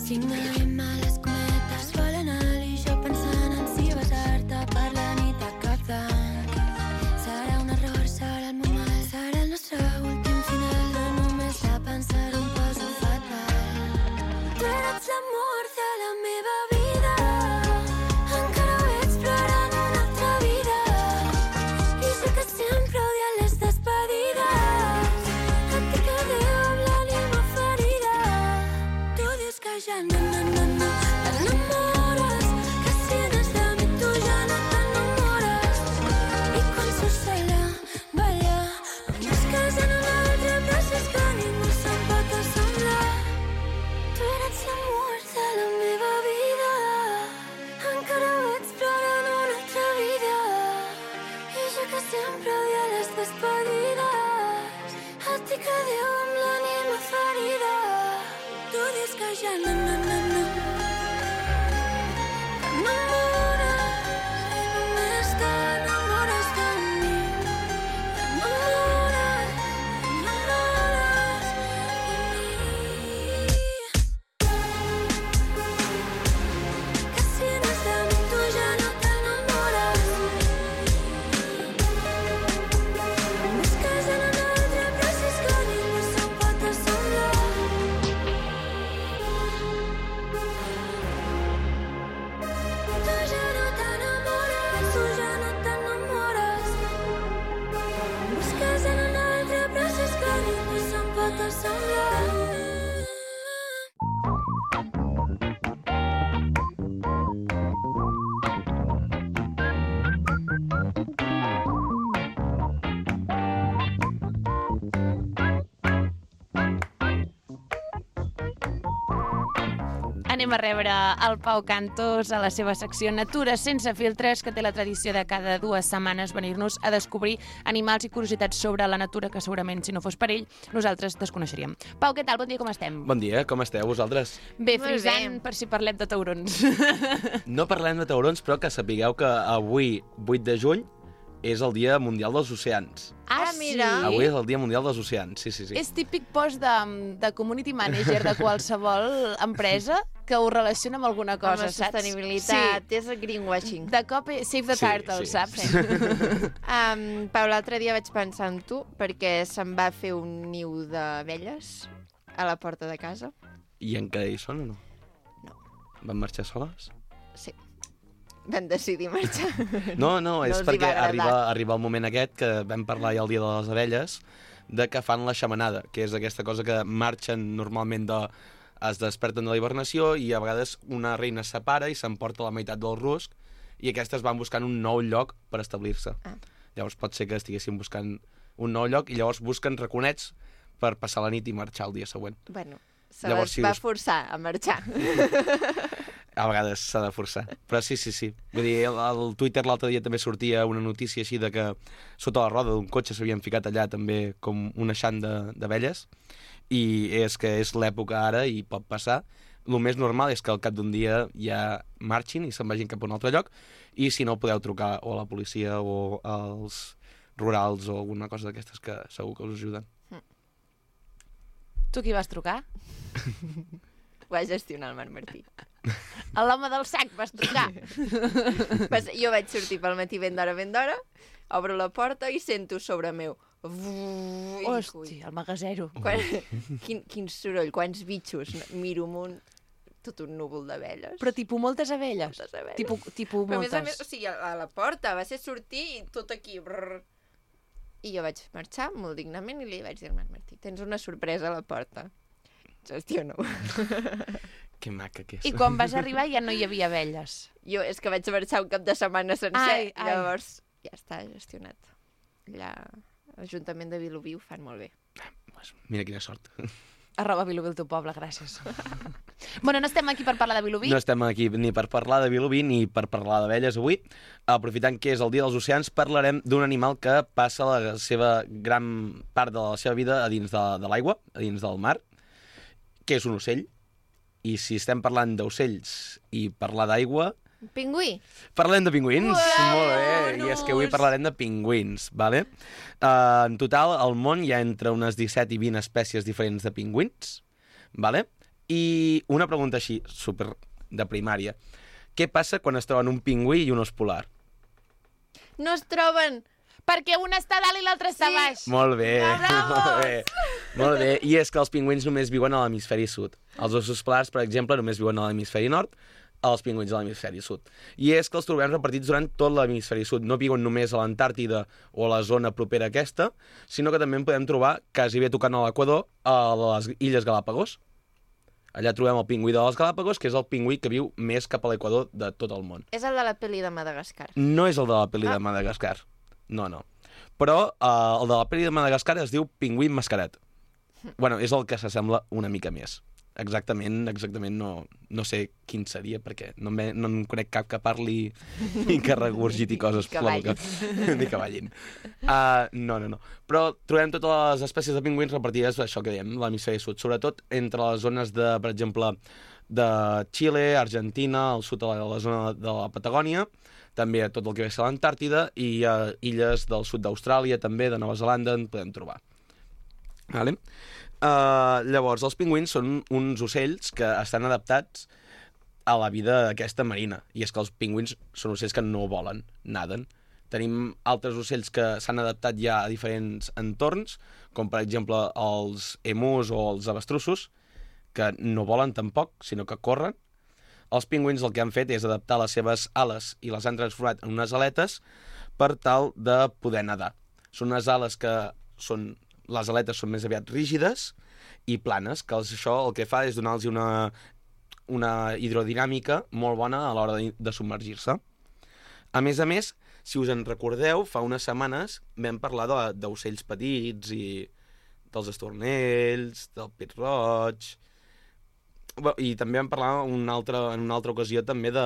Signa i males sempre odia les despedides. El tic que diu amb l'ànima ferida. Tu dius que ja no, no, no, no. T'enamores i només t'enamores de mi. T'enamores, t'enamores de mi. Que si no és de mi tu ja no t'enamores. Busques en un altre, però si és que ningú se'n pot assemblar. Tu ja no t'enamores, tu ja no t'enamores. Busques en un altre, però si és que ningú se'n pot assemblar. Anem a rebre el Pau Cantos a la seva secció Natura sense filtres, que té la tradició de cada dues setmanes venir-nos a descobrir animals i curiositats sobre la natura que segurament, si no fos per ell, nosaltres desconeixeríem. Pau, què tal? Bon dia, com estem? Bon dia, com esteu vosaltres? Bé, Molt frisant bé. per si parlem de taurons. No parlem de taurons, però que sapigueu que avui, vuit de juny, és el Dia Mundial dels Oceans. Ah, mira. Avui és el Dia Mundial dels Oceans, sí, sí, sí. És típic post de, de community manager de qualsevol empresa que ho relaciona amb alguna Amb cosa, la saps? sostenibilitat, és el greenwashing. De cop, eh, save the Sí, turtle, sí. saps? Um, Pau, l'altre dia vaig pensar en tu perquè se'm va fer un niu d'abelles a la porta de casa. I encara hi són o no? No. Van marxar soles? Sí. Vam decidir marxar. No, no, és els hi perquè va agradar. arriba, arriba el moment aquest que vam parlar ja el dia de les abelles, de que fan la xamanada, que és aquesta cosa que marxen normalment de... es desperten de la hibernació i a vegades una reina es separa i s'emporta la meitat del rusc i aquestes van buscant un nou lloc per establir-se. Ah. Llavors pot ser que estiguessin buscant un nou lloc i llavors busquen raconets per passar la nit i marxar el dia següent. Bueno, se Llavors, les si va us- forçar a marxar. A vegades s'ha de forçar. Però sí, sí, sí. Vull dir, al al Twitter l'altre dia també sortia una notícia així de que sota la roda d'un cotxe s'havien ficat allà també com un eixant de- d'abelles i és que és l'època ara i pot passar. El més normal és que al cap d'un dia ja marxin i se'n vagin cap a un altre lloc i si no podeu trucar o a la policia o als rurals o alguna cosa d'aquestes que segur que us ajuden. Tu qui vas trucar? Ho va gestionar el Marc Martí. A l'home del sac vas trucar. Pues jo vaig sortir pel matí ben d'hora, ben d'hora, obro la porta i sento sobre meu. Vuuu, i dic, ui, Hosti, el magasero. quan, quin, quin soroll, quants bitxos. Miro amunt, tot un núvol d'abelles. Però tipus moltes abelles. Moltes abelles. Tipo, tipo Però a més a moltes. més, o sigui, a a la porta va ser sortir i tot aquí... Brrr. I jo vaig marxar molt dignament i li vaig dir al Marc Martí, tens una sorpresa a la porta. Gestiona-ho. Que maca que és. I quan vas arribar ja no hi havia abelles. Jo és que vaig marxar un cap de setmana sencer, Ai, ai. llavors ja està gestionat. Allà, l'Ajuntament de Vilobí ho fan molt bé. Mira quina sort. Arroba Vilobí el teu poble, gràcies. Bueno, no estem aquí per parlar de Vilobí. No estem aquí ni per parlar de Vilobí ni per parlar d'abelles avui. Aprofitant que és el Dia dels Oceans, parlarem d'un animal que passa la seva gran part de la seva vida a dins de, de l'aigua, a dins del mar, que és un ocell. I si estem parlant d'ocells i parlar d'aigua, Pingüí? parlem de pingüins. Uau, Molt bé. I és que avui parlarem de pingüins, vale? Uh, en total, al món hi ha entre unes disset i vint espècies diferents de pingüins, vale? I una pregunta així, super de primària. Què passa quan es troben un pingüí i un os polar? No es troben! Perquè un està a dalt i l'altre està Sí. a baix. Molt bé, Bravo! molt bé. Molt bé. I és que els pingüins només viuen a l'hemisferi sud. Els ossos polars, per exemple, només viuen a l'hemisferi nord, els pingüins a l'hemisferi sud. I és que els trobem repartits durant tot l'hemisferi sud. No viuen només a l'Antàrtida o a la zona propera a aquesta, sinó que també en podem trobar, quasi bé tocant a l'Equador, a les Illes Galàpagos. Allà trobem el pingüí de les Galàpagos, que és el pingüí que viu més cap a l'Equador de tot el món. És el de la pel·li de Madagascar. No és el de la pel·li Ah. de Madagascar. No, no. Però uh, el de la pel·li de Madagascar es diu pingüí mascarat. Bueno, és el que s'assembla una mica més. exactament, exactament no, no sé quin seria, perquè no, me, no en conec cap que parli i que regurgiti coses. que ballin. Ni que ballin. Uh, no, no, no. Però trobem totes les espècies de pingüins repartides, això que dèiem, l'hemisferi sud, sobretot entre les zones de, per exemple, de Xile, Argentina, al sud de la, la zona de la Patagònia, també a tot el que ve a l'Antàrtida, i a illes del sud d'Austràlia, també, de Nova Zelanda, en podem trobar. Vale? Uh, llavors, els pingüins són uns ocells que estan adaptats a la vida aquesta marina. I és que els pingüins són ocells que no volen, naden. Tenim altres ocells que s'han adaptat ja a diferents entorns, com per exemple els emus o els avestrussos, que no volen tampoc, sinó que corren. Els pingüins el que han fet és adaptar les seves ales i les han transformat en unes aletes per tal de poder nedar. Són unes ales que són... Les aletes són més aviat rígides i planes, que això el que fa és donar-los una, una hidrodinàmica molt bona a l'hora de, de submergir-se. A més a més, si us en recordeu, fa unes setmanes vam parlar d'ocells petits i dels estornells, del pit roig... I també vam parlar una altra, en una altra ocasió també de,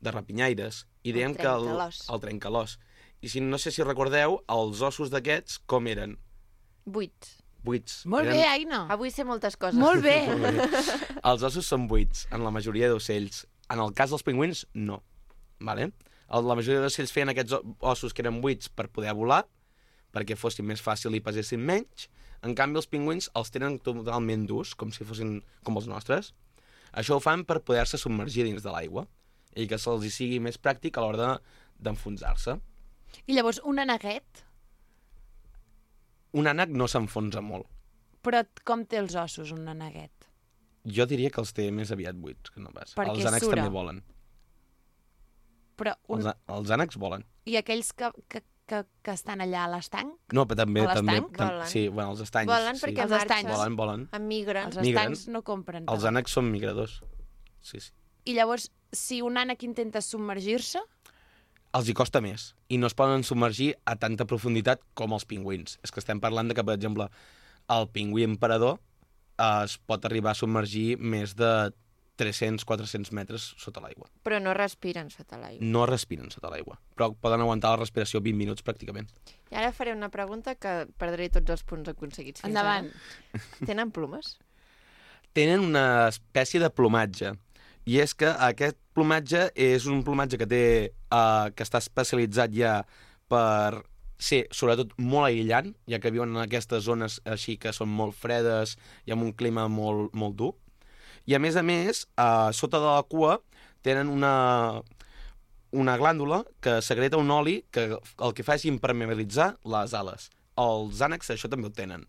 de rapinyaires. I dèiem que el, el trencalòs. I si no sé si recordeu, els ossos d'aquests com eren? Buits. Buits. Molt eren... bé, Aina. Avui sé moltes coses. Molt bé. Molt bé. Els ossos són buits, en la majoria d'ocells. En el cas dels pingüins, no. Vale? La majoria d'ocells feien aquests ossos que eren buits per poder volar, perquè fossin més fàcil i pesessin menys. En canvi, els pingüins els tenen totalment durs, com si fossin com els nostres. Això ho fan per poder-se submergir dins de l'aigua i que se'ls hi sigui més pràctic a l'hora d'enfonsar-se. I llavors, un aneguet? Un ànec no s'enfonsa molt. Però com té els ossos, un aneguet? Jo diria que els té més aviat buits, que no pas. Perquè els ànecs sura. també volen. Però un... Els, els ànecs volen. I aquells que, que, que, que estan allà a l'estanc? No, però també... A també l'estanc? tam, Volen. sí, bueno, els estanys. Volen sí. perquè Els marxen. estanys. Volen, volen. Emigren. Els Migren. estancs no compren. Els tant. ànecs són migradors. Sí, sí. I llavors, si un ànec intenta submergir-se, Els hi costa més. I no es poden submergir a tanta profunditat com els pingüins. És que estem parlant de que, per exemple, el pingüí emperador eh, es pot arribar a submergir més de tres-cents a quatre-cents metres sota l'aigua. Però no respiren sota l'aigua. No respiren sota l'aigua, però poden aguantar la respiració vint minuts pràcticament. I ara faré una pregunta que perdré tots els punts aconseguits fins endavant. ara. Tenen plomes? Tenen una espècie de plomatge. I és que aquest plomatge és un plomatge que té eh, que està especialitzat ja per ser, sobretot, molt aïllant, ja que viuen en aquestes zones així que són molt fredes i amb un clima molt, molt dur. I, a més a més, eh, sota de la cua tenen una, una glàndula que secreta un oli que el que fa és impermeabilitzar les ales. Els ànecs això també ho tenen.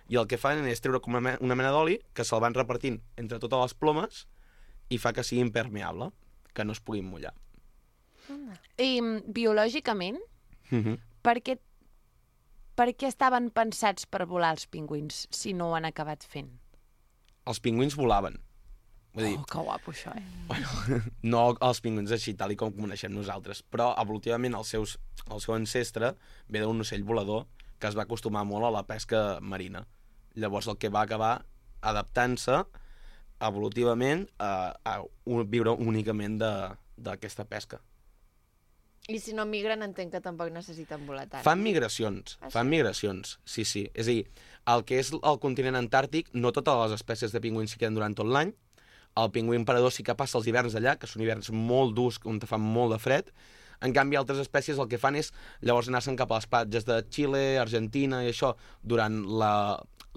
I el que fan és treure com una, una mena d'oli que se'l van repartint entre totes les plomes i fa que sigui impermeable, que no es puguin mullar. I mm, biològicament, Mm-hmm. per què, per què estaven pensats per volar els pingüins si no ho han acabat fent? Els pingüins volaven. Vull dir, Oh, que guapo això, eh? bueno, no els pingüins així, tal i com coneixem nosaltres, però evolutivament el, seus, el seu ancestre ve d'un ocell volador que es va acostumar molt a la pesca marina. Llavors el que va acabar adaptant-se evolutivament a, a un, viure únicament d'aquesta pesca. I si no migren, entenc que tampoc necessiten volar tant. Fan migracions, Ah, sí? fan migracions, sí, sí. És a dir, el que és el continent antàrtic, no totes les espècies de pingüins s'hi queden durant tot l'any. El pingüí emperador sí que passa els hiverns allà, que són hiverns molt durs, on fan molt de fred. En canvi, altres espècies el que fan és llavors anar-se'n cap a les platges de Xile, Argentina i això, durant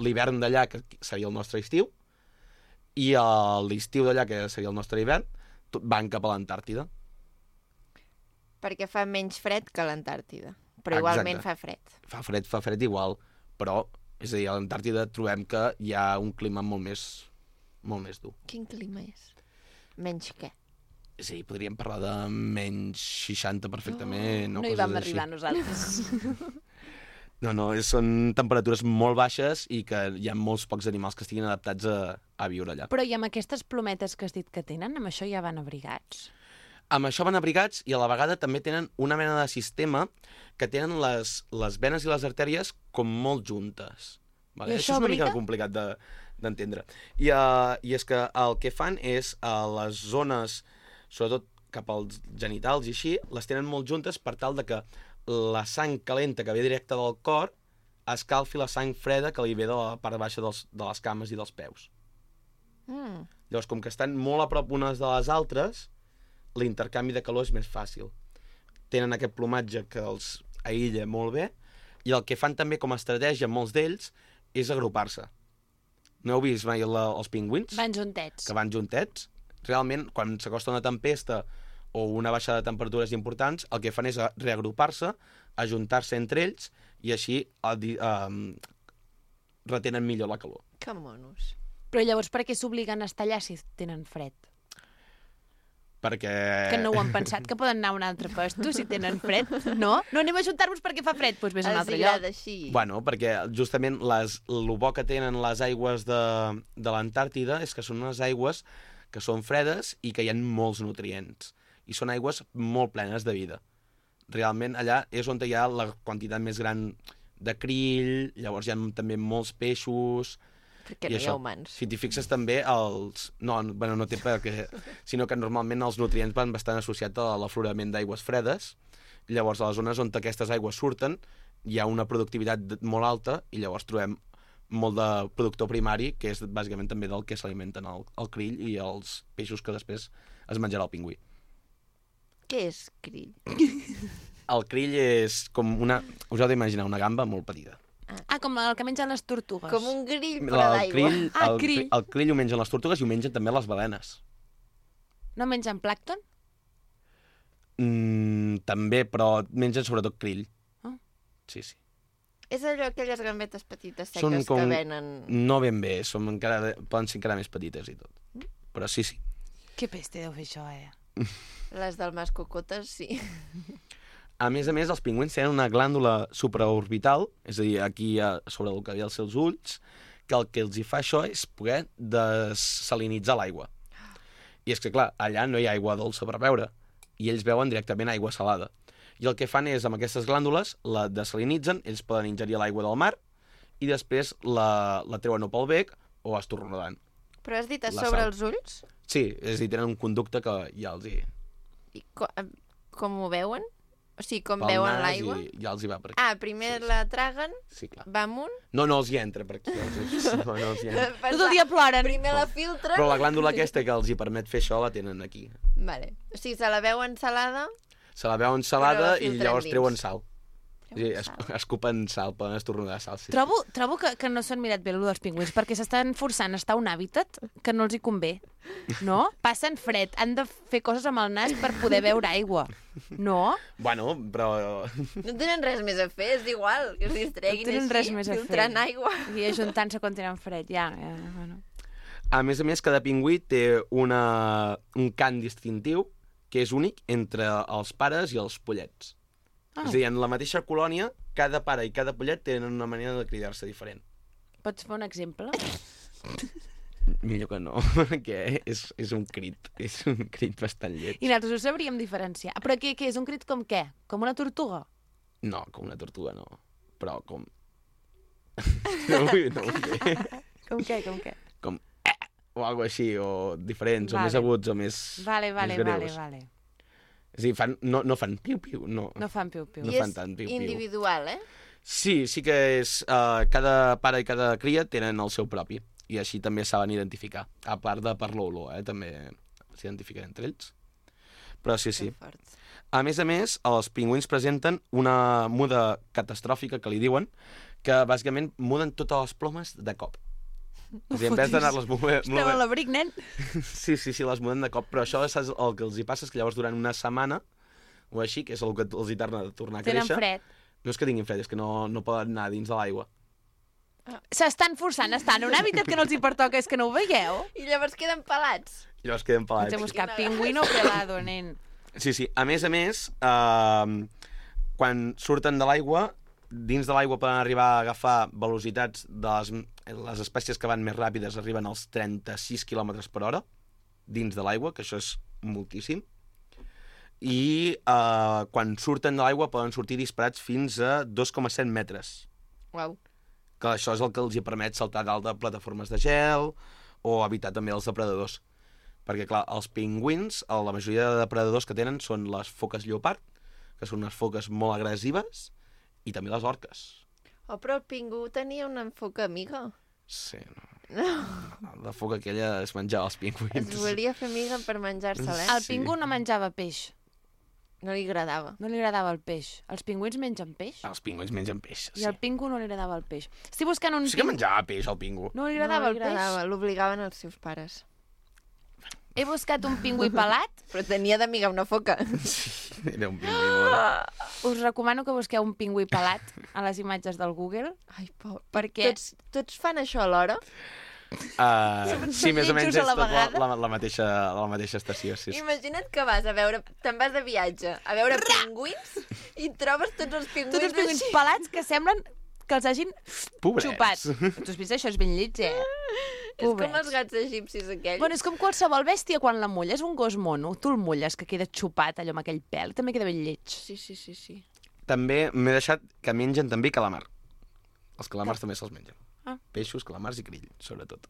l'hivern d'allà, que seria el nostre estiu, i l'estiu d'allà, que seria el nostre hivern, van cap a l'Antàrtida. Perquè fa menys fred que l'Antàrtida. Però igualment Exacte. fa fred. Fa fred, fa fred igual, però, és a dir, a l'Antàrtida trobem que hi ha un clima molt més, molt més dur. Quin clima és? Menys què? És a dir, podríem parlar de menys seixanta perfectament. No, o hi coses vam així. arribar nosaltres. No, no, és- són temperatures molt baixes i que hi ha molts pocs animals que estiguin adaptats a, a viure allà. Però i amb aquestes plometes que has dit que tenen, amb això ja van abrigats? Amb això van abrigats i a la vegada també tenen una mena de sistema que tenen les, les venes i les artèries com molt juntes. Vale? I això és una mica abriga? complicat de, d'entendre. I, uh, I és que el que fan és a les zones, sobretot cap als genitals i així, les tenen molt juntes per tal de que la sang calenta que ve directa del cor escalfi la sang freda que li ve de la part baixa dels, de les cames i dels peus. Mm. Llavors, com que estan molt a prop unes de les altres, l'intercanvi de calor és més fàcil. Tenen aquest plomatge que els aïlla molt bé, i el que fan també com a estratègia molts d'ells és agrupar-se. No heu vist mai la, els pingüins? Van juntets. Que van juntets? Realment, quan s'acosta una tempesta o una baixada de temperatures importants, el que fan és reagrupar-se, ajuntar-se entre ells, i així eh, eh, retenen millor la calor. Que monos. Però llavors per què s'obliguen a estar allà si tenen fred? Perquè... Que no ho han pensat, que poden anar a un altre puesto si tenen fred, no? No anem a ajuntar-vos perquè fa fred, doncs vés a un Els altre agrada lloc. així. Bueno, perquè justament les, el bo que tenen les aigües de, de l'Antàrtida és que són unes aigües que són fredes i que hi ha molts nutrients. I són aigües molt plenes de vida. Realment allà és on hi ha la quantitat més gran de krill, llavors hi ha també molts peixos... Perquè I no hi això, ha humans. si t'hi fixes també, els... No, no, bueno, no té per què... Sinó que normalment els nutrients van bastant associats a l'aflorament d'aigües fredes. Llavors, a les zones on aquestes aigües surten, hi ha una productivitat molt alta i llavors trobem molt de productor primari, que és bàsicament també del que s'alimenten el, el krill i els peixos que després es menjarà el pingüí. Què és krill? El krill és com una... Us heu d'imaginar una gamba molt petita. Ah, com el que mengen les tortugues. Com un grill, però El d'aigua. krill, Ah, el, krill. el krill ho mengen les tortugues i ho mengen també les balenes. No mengen plàcton? Mm, també, però mengen sobretot krill. Ah. Sí, sí. És allò, aquelles gambetes petites Són seques com... que venen... No ben bé, som encara... poden ser encara més petites i tot. Però sí, sí. Que peste deu fer això, eh? Les del mas cocotes, sí. A més a més, els pingüins tenen una glàndula supraorbital, és a dir, aquí a sobre el que hi ha als seus ulls, que el que els hi fa això és poder desalinitzar l'aigua. I és que, clar, allà no hi ha aigua dolça per beure, i ells beuen directament aigua salada. I el que fan és, amb aquestes glàndules, la desalinitzen, ells poden ingerir l'aigua del mar, i després la, la treuen o pel bec o estornudant. Però has dit a La sobre sal. els ulls? Sí, és a dir, tenen un conducte que ja els hi... I co com ho veuen? O sigui, com pel veuen nas l'aigua? i ja els hi va per aquí. Ah, primer Sí, sí. la traguen, Sí, clar. va amunt... No, no els hi entra per aquí. Els... No, no els hi entra. Tot el dia ploren. Primer la filtren... Però la glàndula aquesta que els hi permet fer això la tenen aquí. Vale. O sigui, se la veuen salada... Se la veuen Però salada la i filtren llavors dins. treuen sal. Sí, Treuen es, sal. escupen sal, poden estornudar sal. Sí. Trobo, trobo que, que no s'han mirat bé allò dels pingüins, perquè s'estan forçant a estar a un hàbitat que no els hi convé, no? Passen fred, han de fer coses amb el nas per poder beure aigua, no? Bueno, però... No tenen res més a fer, és igual, que es distreguin No tenen així, res més a fer. filtrant aigua. I ajuntant-se quan tenen fred, ja. ja bueno. A més a més, cada pingüí té una, un cant distintiu que és únic entre els pares i els pollets. Ah. És a dir, en la mateixa colònia, cada pare i cada pollet tenen una manera de cridar-se diferent. Pots fer un exemple? Millor que no, perquè és, és un crit, és un crit bastant lleig. I nosaltres ho sabríem diferenciar. Però què, què és un crit com què? Com una tortuga? No, com una tortuga no, però com... No, ho vull- no ho sé. Com què, com què? Com eh, o algo així, o diferents, Vale. o més aguts, o més, Vale, vale, més vale, greus. vale. És a dir, fan, no, no fan piu-piu, no. No fan piu-piu. No I fan és tant piu-piu. individual, eh? Sí, sí que és... Uh, cada pare i cada cria tenen el seu propi, i així també saben identificar. A part de per l'olor, eh? També s'identifiquen entre ells. Però sí, sí. Que fort. A més a més, els pingüins presenten una muda catastròfica, que li diuen, que bàsicament muden totes les plomes de cop. O sigui, en vez d'anar-les movent... Estem a l'abric, nen. Sí, sí, sí, les muden de cop, però això saps, el que els hi passa és que llavors durant una setmana o així, que és el que els hi torna a tornar a Tenen créixer, fred. no és que tinguin fred, és que no, no poden anar dins de l'aigua. S'estan forçant a estar en un hàbitat que no els hi pertoca, és que no ho veieu? I llavors queden pelats. I llavors queden Ens pelats. hem buscat pingüino pelado, nen. Sí, sí. A més a més, eh, quan surten de l'aigua, dins de l'aigua poden arribar a agafar velocitats de les, les espècies que van més ràpides arriben als trenta-sis quilòmetres per hora dins de l'aigua, que això és moltíssim. I eh, quan surten de l'aigua poden sortir disparats fins a dos coma set metres. Uau. que això és el que els hi permet saltar dalt de plataformes de gel o evitar també els depredadors. Perquè, clar, els pingüins, la majoria de depredadors que tenen són les foques lleopard, que són unes foques molt agressives, i també les orques. Oh, però el pingú tenia una foca amiga. Sí, no. La foca aquella es menjava els pingüins. Es volia fer amiga per menjar-se-la, eh? El pingú no menjava peix. No li agradava. No li agradava el peix. Els pingüins mengen peix? Els pingüins mengen peix, I sí. al pingú no li agradava el peix. Estic buscant un Sí que pingú... menjava peix, el pingú. No li agradava no li el peix? agradava, l'obligaven els seus pares. He buscat un pingüí pelat. Però tenia d'amiga una foca. Sí, era un pingüí molt... Us recomano que busqueu un pingüí pelat a les imatges del Google. Ai, por. Perquè... Tots, tots fan això alhora? Uh, sí, més o menys lletjos a és la tot la, vegada. la, la, mateixa, la mateixa estació, sí. sí. Imagina't que vas a veure... Te'n vas de viatge a veure pingüins i trobes tots els pingüins, Tots els pingüins així. pelats que semblen que els hagin Pobrets. xupat. Tu has vist això? És ben lleig, eh? És com els gats egipcis aquells. Bueno, és com qualsevol bèstia quan la mulles, un gos mono. Tu el mulles, que queda xupat allò amb aquell pèl. També queda ben lleig. Sí, sí, sí, sí. També m'he deixat que mengen també calamar. Els calamars també se'ls mengen. Ah. Peixos, calamars i grill, sobretot.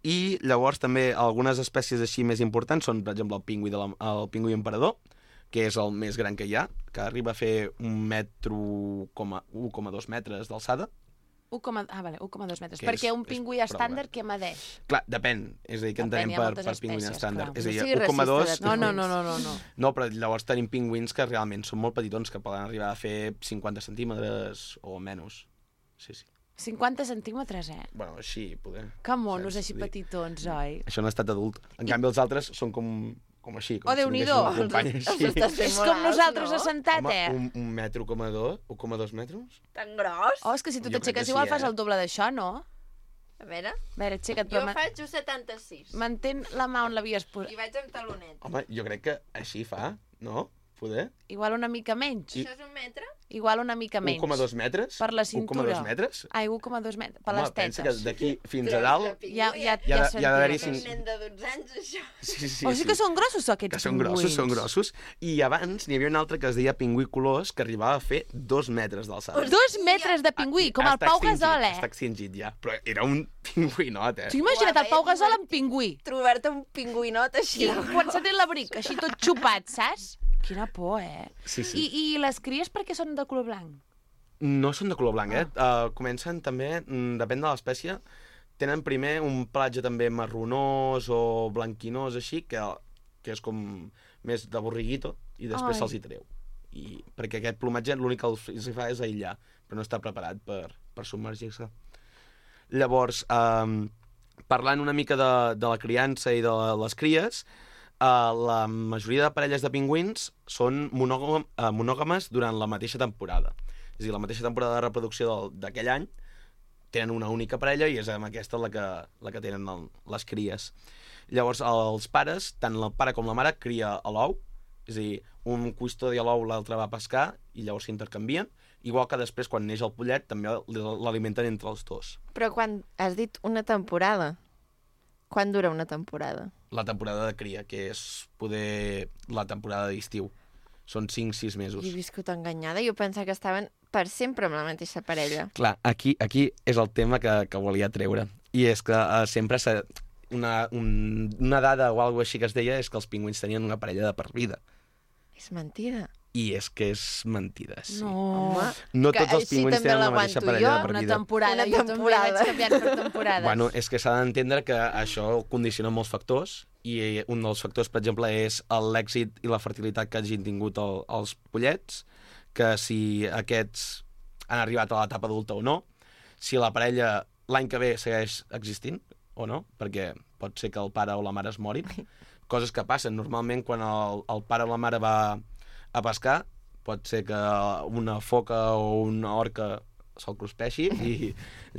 I llavors també algunes espècies així més importants són, per exemple, el pingüí, de la, el pingüí emperador, que és el més gran que hi ha, que arriba a fer un metro, un coma dos metres d'alçada. un, ah, vale, un coma dos metres. Que perquè és- un pingüí és prou estàndard gran. que medeix. Clar, depèn. És a dir, que Depèn, entenem hi ha per, moltes per pingüí espècies, estàndard. clar. És a No dir, sigui un coma dos... racista de No, no, no, no, no. no. No, però llavors tenim pingüins que realment són molt petitons, que poden arribar a fer cinquanta centímetres o menys. Sí, sí. cinquanta centímetres, eh? Bueno, així, poder. Que monos, Saps? així Vull dir, petitons, oi? Això no ha estat adult. En canvi, els altres són com, com així. Com Oh, si Déu-n'hi-do. tinguessin un company Els així. estàs fent És molt com alts, nosaltres no? assentat, Home, eh? un, un metro coma dos, un coma dos metres? Tan gros? Oh, és que si tu Jo crec t'aixeques que sí, igual eh? fas el doble d'això, no? A veure, A veure, aixeca't, jo però ma- faig un setanta-sis. mantén la mà on l'havies posat. I vaig amb talonet. Home, jo crec que així fa, no? Poder? Igual una mica menys. Això és un metre? Igual una mica menys. un coma dos metres? Per la un coma cintura. dos metres? Ai, un coma dos metres. Per Home, les pensa que tetes. d'aquí fins a Creus dalt... que Ja, ja, Hi ha ja de- hi ha d'haver-hi sentia. Un cinc- nen de dotze anys, això. Sí, sí, O sigui que són grossos, aquests que són grossos, pingüins. són grossos. I abans n'hi havia un altre que es deia pingüí colors, que arribava a fer dos metres d'alçada. Dos metres de pingüí, com el Està Pau extingit, Gasol, Està eh? extingit ja, però era un pingüinot, eh? O sigui, imagina't Uau, el Pau veia Gasol amb divertit. pingüí. Trobar-te un pingüinot així. I quan s'ha tret l'abric, així tot xupat, saps? Quina por, eh? Sí, sí. I, I les cries per què són de color blanc? No són de color blanc, eh? Ah. Uh, comencen també, mm, depèn de l'espècie, tenen primer un pelatge també marronós o blanquinós, així, que, que és com més de borriguito, i després Ai. se'ls hi treu. I, perquè aquest plomatge l'únic que els els hi fa és aïllar, però no està preparat per, per submergir-se. Llavors, um, parlant una mica de, de la criança i de les cries, uh, la majoria de parelles de pingüins són monògam, uh, monògames durant la mateixa temporada. És a dir, la mateixa temporada de reproducció del- d'aquell any tenen una única parella i és amb aquesta la que, la que tenen el, les cries. Llavors, els pares, tant el pare com la mare, cria a l'ou, és a dir, un custodia l'ou, l'altre va a pescar i llavors s'intercanvien, igual que després, quan neix el pollet, també l'alimenten entre els dos. Però quan has dit una temporada, quan dura una temporada? La temporada de cria, que és poder la temporada d'estiu. Són cinc sis mesos. Jo he viscut enganyada. Jo pensava que estaven per sempre amb la mateixa parella. Clar, aquí, aquí és el tema que, que volia treure. I és que uh, sempre s'ha... Una, un, una dada o alguna així que es deia és que els pingüins tenien una parella de per vida. És mentida. I és que és mentida, sí. No. Home, No que tots els així pingüins també tenen la mateixa l'aguanto parella jo, de per Una vida. temporada, Una jo també temporada. vaig canviant per temporades. Bueno, és que s'ha d'entendre que això condiciona molts factors i un dels factors, per exemple, és l'èxit i la fertilitat que hagin tingut el, els pollets, que si aquests han arribat a l'etapa adulta o no, si la parella l'any que ve segueix existint o no, perquè pot ser que el pare o la mare es morin, coses que passen. Normalment, quan el, el pare o la mare va a pescar, pot ser que una foca o una orca se'l cruspeixi i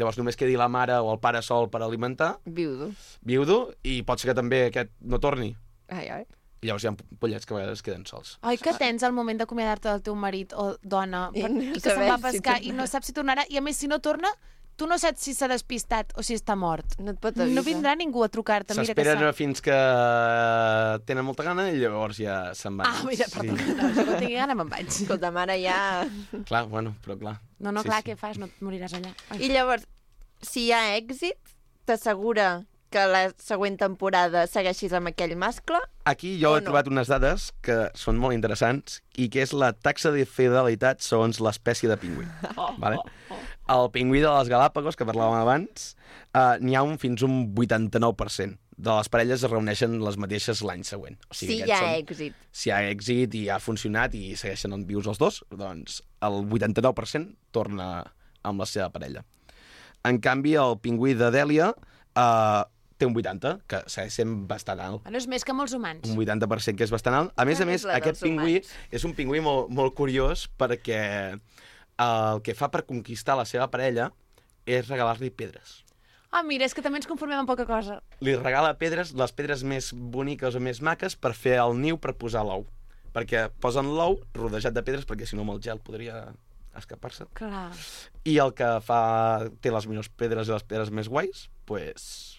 llavors només quedi la mare o el pare sol per alimentar, Viudo. viudo, i pot ser que també aquest no torni. Ai, ai. I llavors hi ha pollets que a vegades queden sols. Ai, que tens al moment d'acomiadar-te del teu marit o dona I per, no i que se'n va a saber si pescar i tornarà. no saps si tornarà i a més si no torna tu no saps si s'ha despistat o si està mort. No et pot avisar. No vindrà ningú a trucar-te. Mira que S'esperen sap. fins que tenen molta gana i llavors ja se'n van. Ah, mira, perdó. No, jo quan tingui gana me'n vaig. Escolta, mare, ja... Clar, bueno, però clar. No, no, Sí, clar, sí. què fas? No et moriràs allà. Ai. I llavors, si hi ha èxit, t'assegura que la següent temporada segueixis amb aquell mascle? Aquí jo O he no? trobat unes dades que són molt interessants i que és la taxa de fidelitat segons l'espècie de pingüí. Oh, Vale? El pingüí de les Galàpagos, que parlàvem abans, eh, n'hi ha un fins un vuitanta-nou per cent de les parelles es reuneixen les mateixes l'any següent. O Si sigui, hi ha aquests són- èxit. Si hi ha èxit i ha funcionat i segueixen on vius els dos, doncs el vuitanta-nou per cent torna amb la seva parella. En canvi, el pingüí de Dèlia eh, té un vuitanta, que segueix sent bastant alt. Bueno, és més que molts humans. Un vuitanta per cent, que és bastant alt. A més a Tant més, és la aquest dels pingüí humans. és un pingüí molt, molt curiós perquè el que fa per conquistar la seva parella és regalar-li pedres. Ah, mira, és que també ens conformem amb poca cosa. Li regala pedres, les pedres més boniques o més maques, per fer el niu per posar l'ou. Perquè posen l'ou rodejat de pedres, perquè si no amb el gel podria escapar-se. Clar. I el que fa té les millors pedres i les pedres més guais, pues,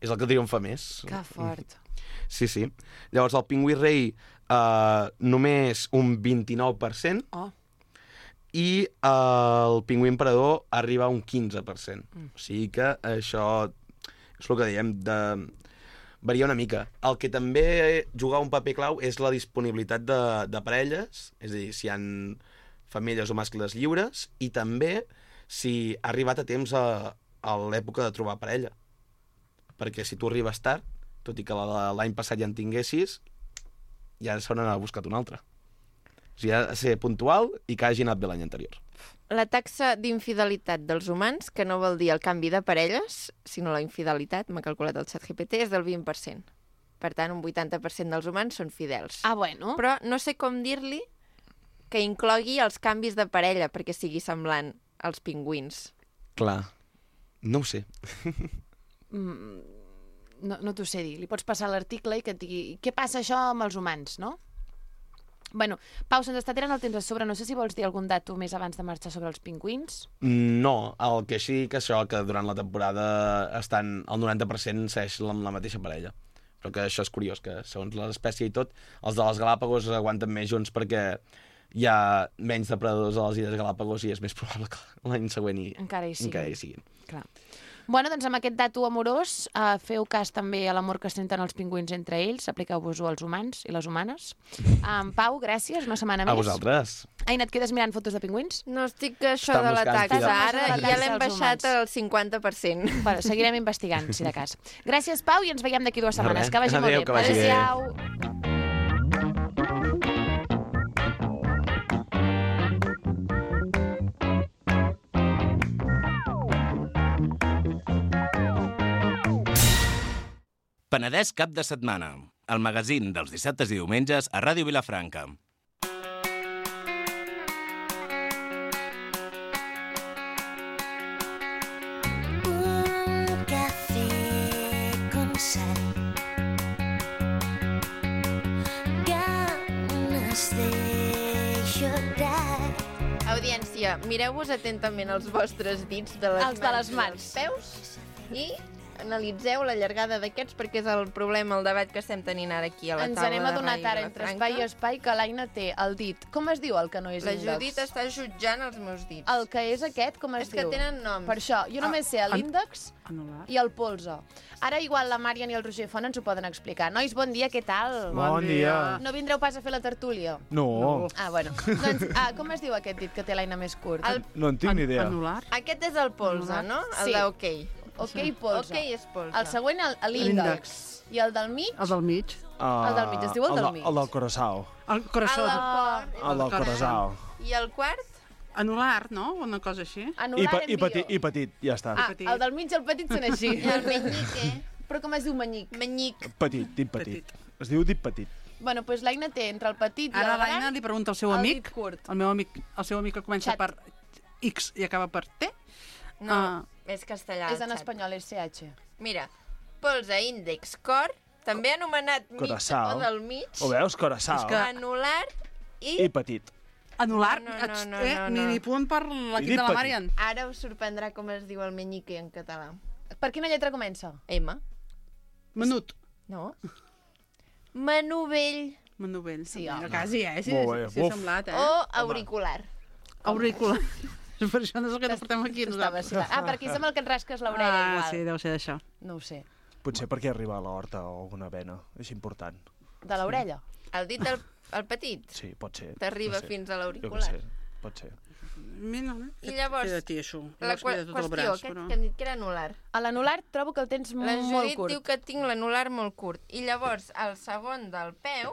és el que triomfa més. Que fort. Sí, sí. Llavors, el pingüí rei, eh, només un vint-i-nou per cent, Oh. i eh, el pingüí emperador arriba a un quinze per cent. Mm. O sigui que això és el que diem, de... varia una mica. El que també juga un paper clau és la disponibilitat de, de parelles, és a dir, si hi ha femelles o mascles lliures, i també si ha arribat a temps a, a l'època de trobar parella. Perquè si tu arribes tard, tot i que la- l'any passat ja en tinguessis, ja se n'ha buscat un altre. O sigui, ha de ser puntual i que hagi anat bé l'any anterior. La taxa d'infidelitat dels humans, que no vol dir el canvi de parelles, sinó la infidelitat, m'ha calculat el ChatGPT, és del vint per cent. Per tant, un vuitanta per cent dels humans són fidels. Ah, bueno. Però no sé com dir-li que inclogui els canvis de parella perquè sigui semblant als pingüins. Clar. No ho sé. Mm, no, no t'ho sé dir. Li pots passar l'article i que et digui què passa això amb els humans, no? Bueno, Pau, se'ns està tirant el temps a sobre. No sé si vols dir algun dato més abans de marxar sobre els pingüins. No, el que sí que això, que durant la temporada estan el noranta per cent segueix amb la mateixa parella. Però que això és curiós, que segons l'espècie i tot, els de les Galàpagos aguanten més junts perquè hi ha menys depredadors a les Illes Galàpagos i és més probable que l'any següent hi, Encara hi siguin. encara hi siguin. Clar. Bueno, doncs amb aquest dato amorós, eh, feu cas també a l'amor que senten els pingüins entre ells, apliqueu-vos-ho als humans i les humanes. Um, Pau, gràcies, una setmana A més. vosaltres. Aina, et quedes mirant fotos de pingüins? No estic això Està de la buscant taxa. fidel- Ara La ja taxa l'hem als baixat humans. al cinquanta per cent. Bueno, seguirem investigant, si de cas. Gràcies, Pau, i ens veiem d'aquí dues setmanes. res. Que vagi Adéu, molt bé. que vagi bé. Adéu-siau. Penedès cap de setmana. El magazín dels dissabtes i diumenges a Ràdio Vilafranca. Un café con sal. Ganas de llorar. Audiència, mireu-vos atentament els vostres dits de les Els de les i mans. els peus i analitzeu la llargada d'aquests perquè és el problema, el debat que estem tenint ara aquí a la Ens taula anem de adonat Ràdio ara entre Vilafranca. espai i espai que l'Aina té el dit. Com es diu el que no és La índex? Judit està jutjant els meus dits. El que és aquest, com es És que diu? tenen noms. Per això, jo només sé l'índex Anular. i el polze. Ara igual la Màrian i el Roger Font ens ho poden explicar. Nois, bon dia, què tal? Bon dia. No vindreu pas a fer la tertúlia? No, Ah, bueno. doncs, ah, com es diu aquest dit que té l'Aina més curt? El- no en tinc ni idea. Anular? Aquest és el polze, no? El Sí. d'ok. Ok, polze. Ok és polze. El següent, el- l'índex. L'índex. I el del mig? El del mig. Uh, El del mig, es diu el del de- mig. El del Coraçao. El coraçó. El del Ah. cor. El del Coraçao. I el quart? Anular, no? Una cosa així. I, Anular pe en i, bio. petit, I petit, ja està. Ah, petit. el del mig i el petit són així. I el menyique? Però com es diu menyic? Menyic. Petit, dit petit. Es diu dit petit. Bueno, doncs l'Aina té entre el petit i Ara el l'Aina gran li pregunta al seu el amic, dit curt. el meu amic, el seu amic que comença Xat. per X i acaba per T. No, Ah. és castellà. És en xat. espanyol, és C H. Mira, polze, índex, cor, també anomenat mig Coraçao. o del mig, Ho veus? Coraçao. És que- anular i, I petit. Anul·lar, No, no, no, eh, no, no. minipunt per l'equip de la Marian. Ara us sorprendrà com es diu el menyique en català. Per quina lletra comença? M. Menut. No. Manovell. Manovell. Sí, home. home. Quasi, eh? Sí, Molt bé, sí, sí, buf. ha semblat, eh? O auricular. Auricular. Per això no és el que portem aquí Estava nosaltres. ah, perquè és amb el que et rasques l'orella Ah, igual. sí, deu ser d'això. No ho sé. Potser perquè arriba a l'horta o alguna vena. És important. De l'orella? El dit del el petit Sí, pot ser. t'arriba No sé. fins a Jo què l'auricular. sé, pot ser. Mira, no? I llavors, Queda ti, això. la Llavors qu queda tot el qüestió, braç, que, però... que hem dit que era anular. A l'anular trobo que el tens La molt Judit curt. diu que tinc l'anular molt curt. I llavors, el segon del peu,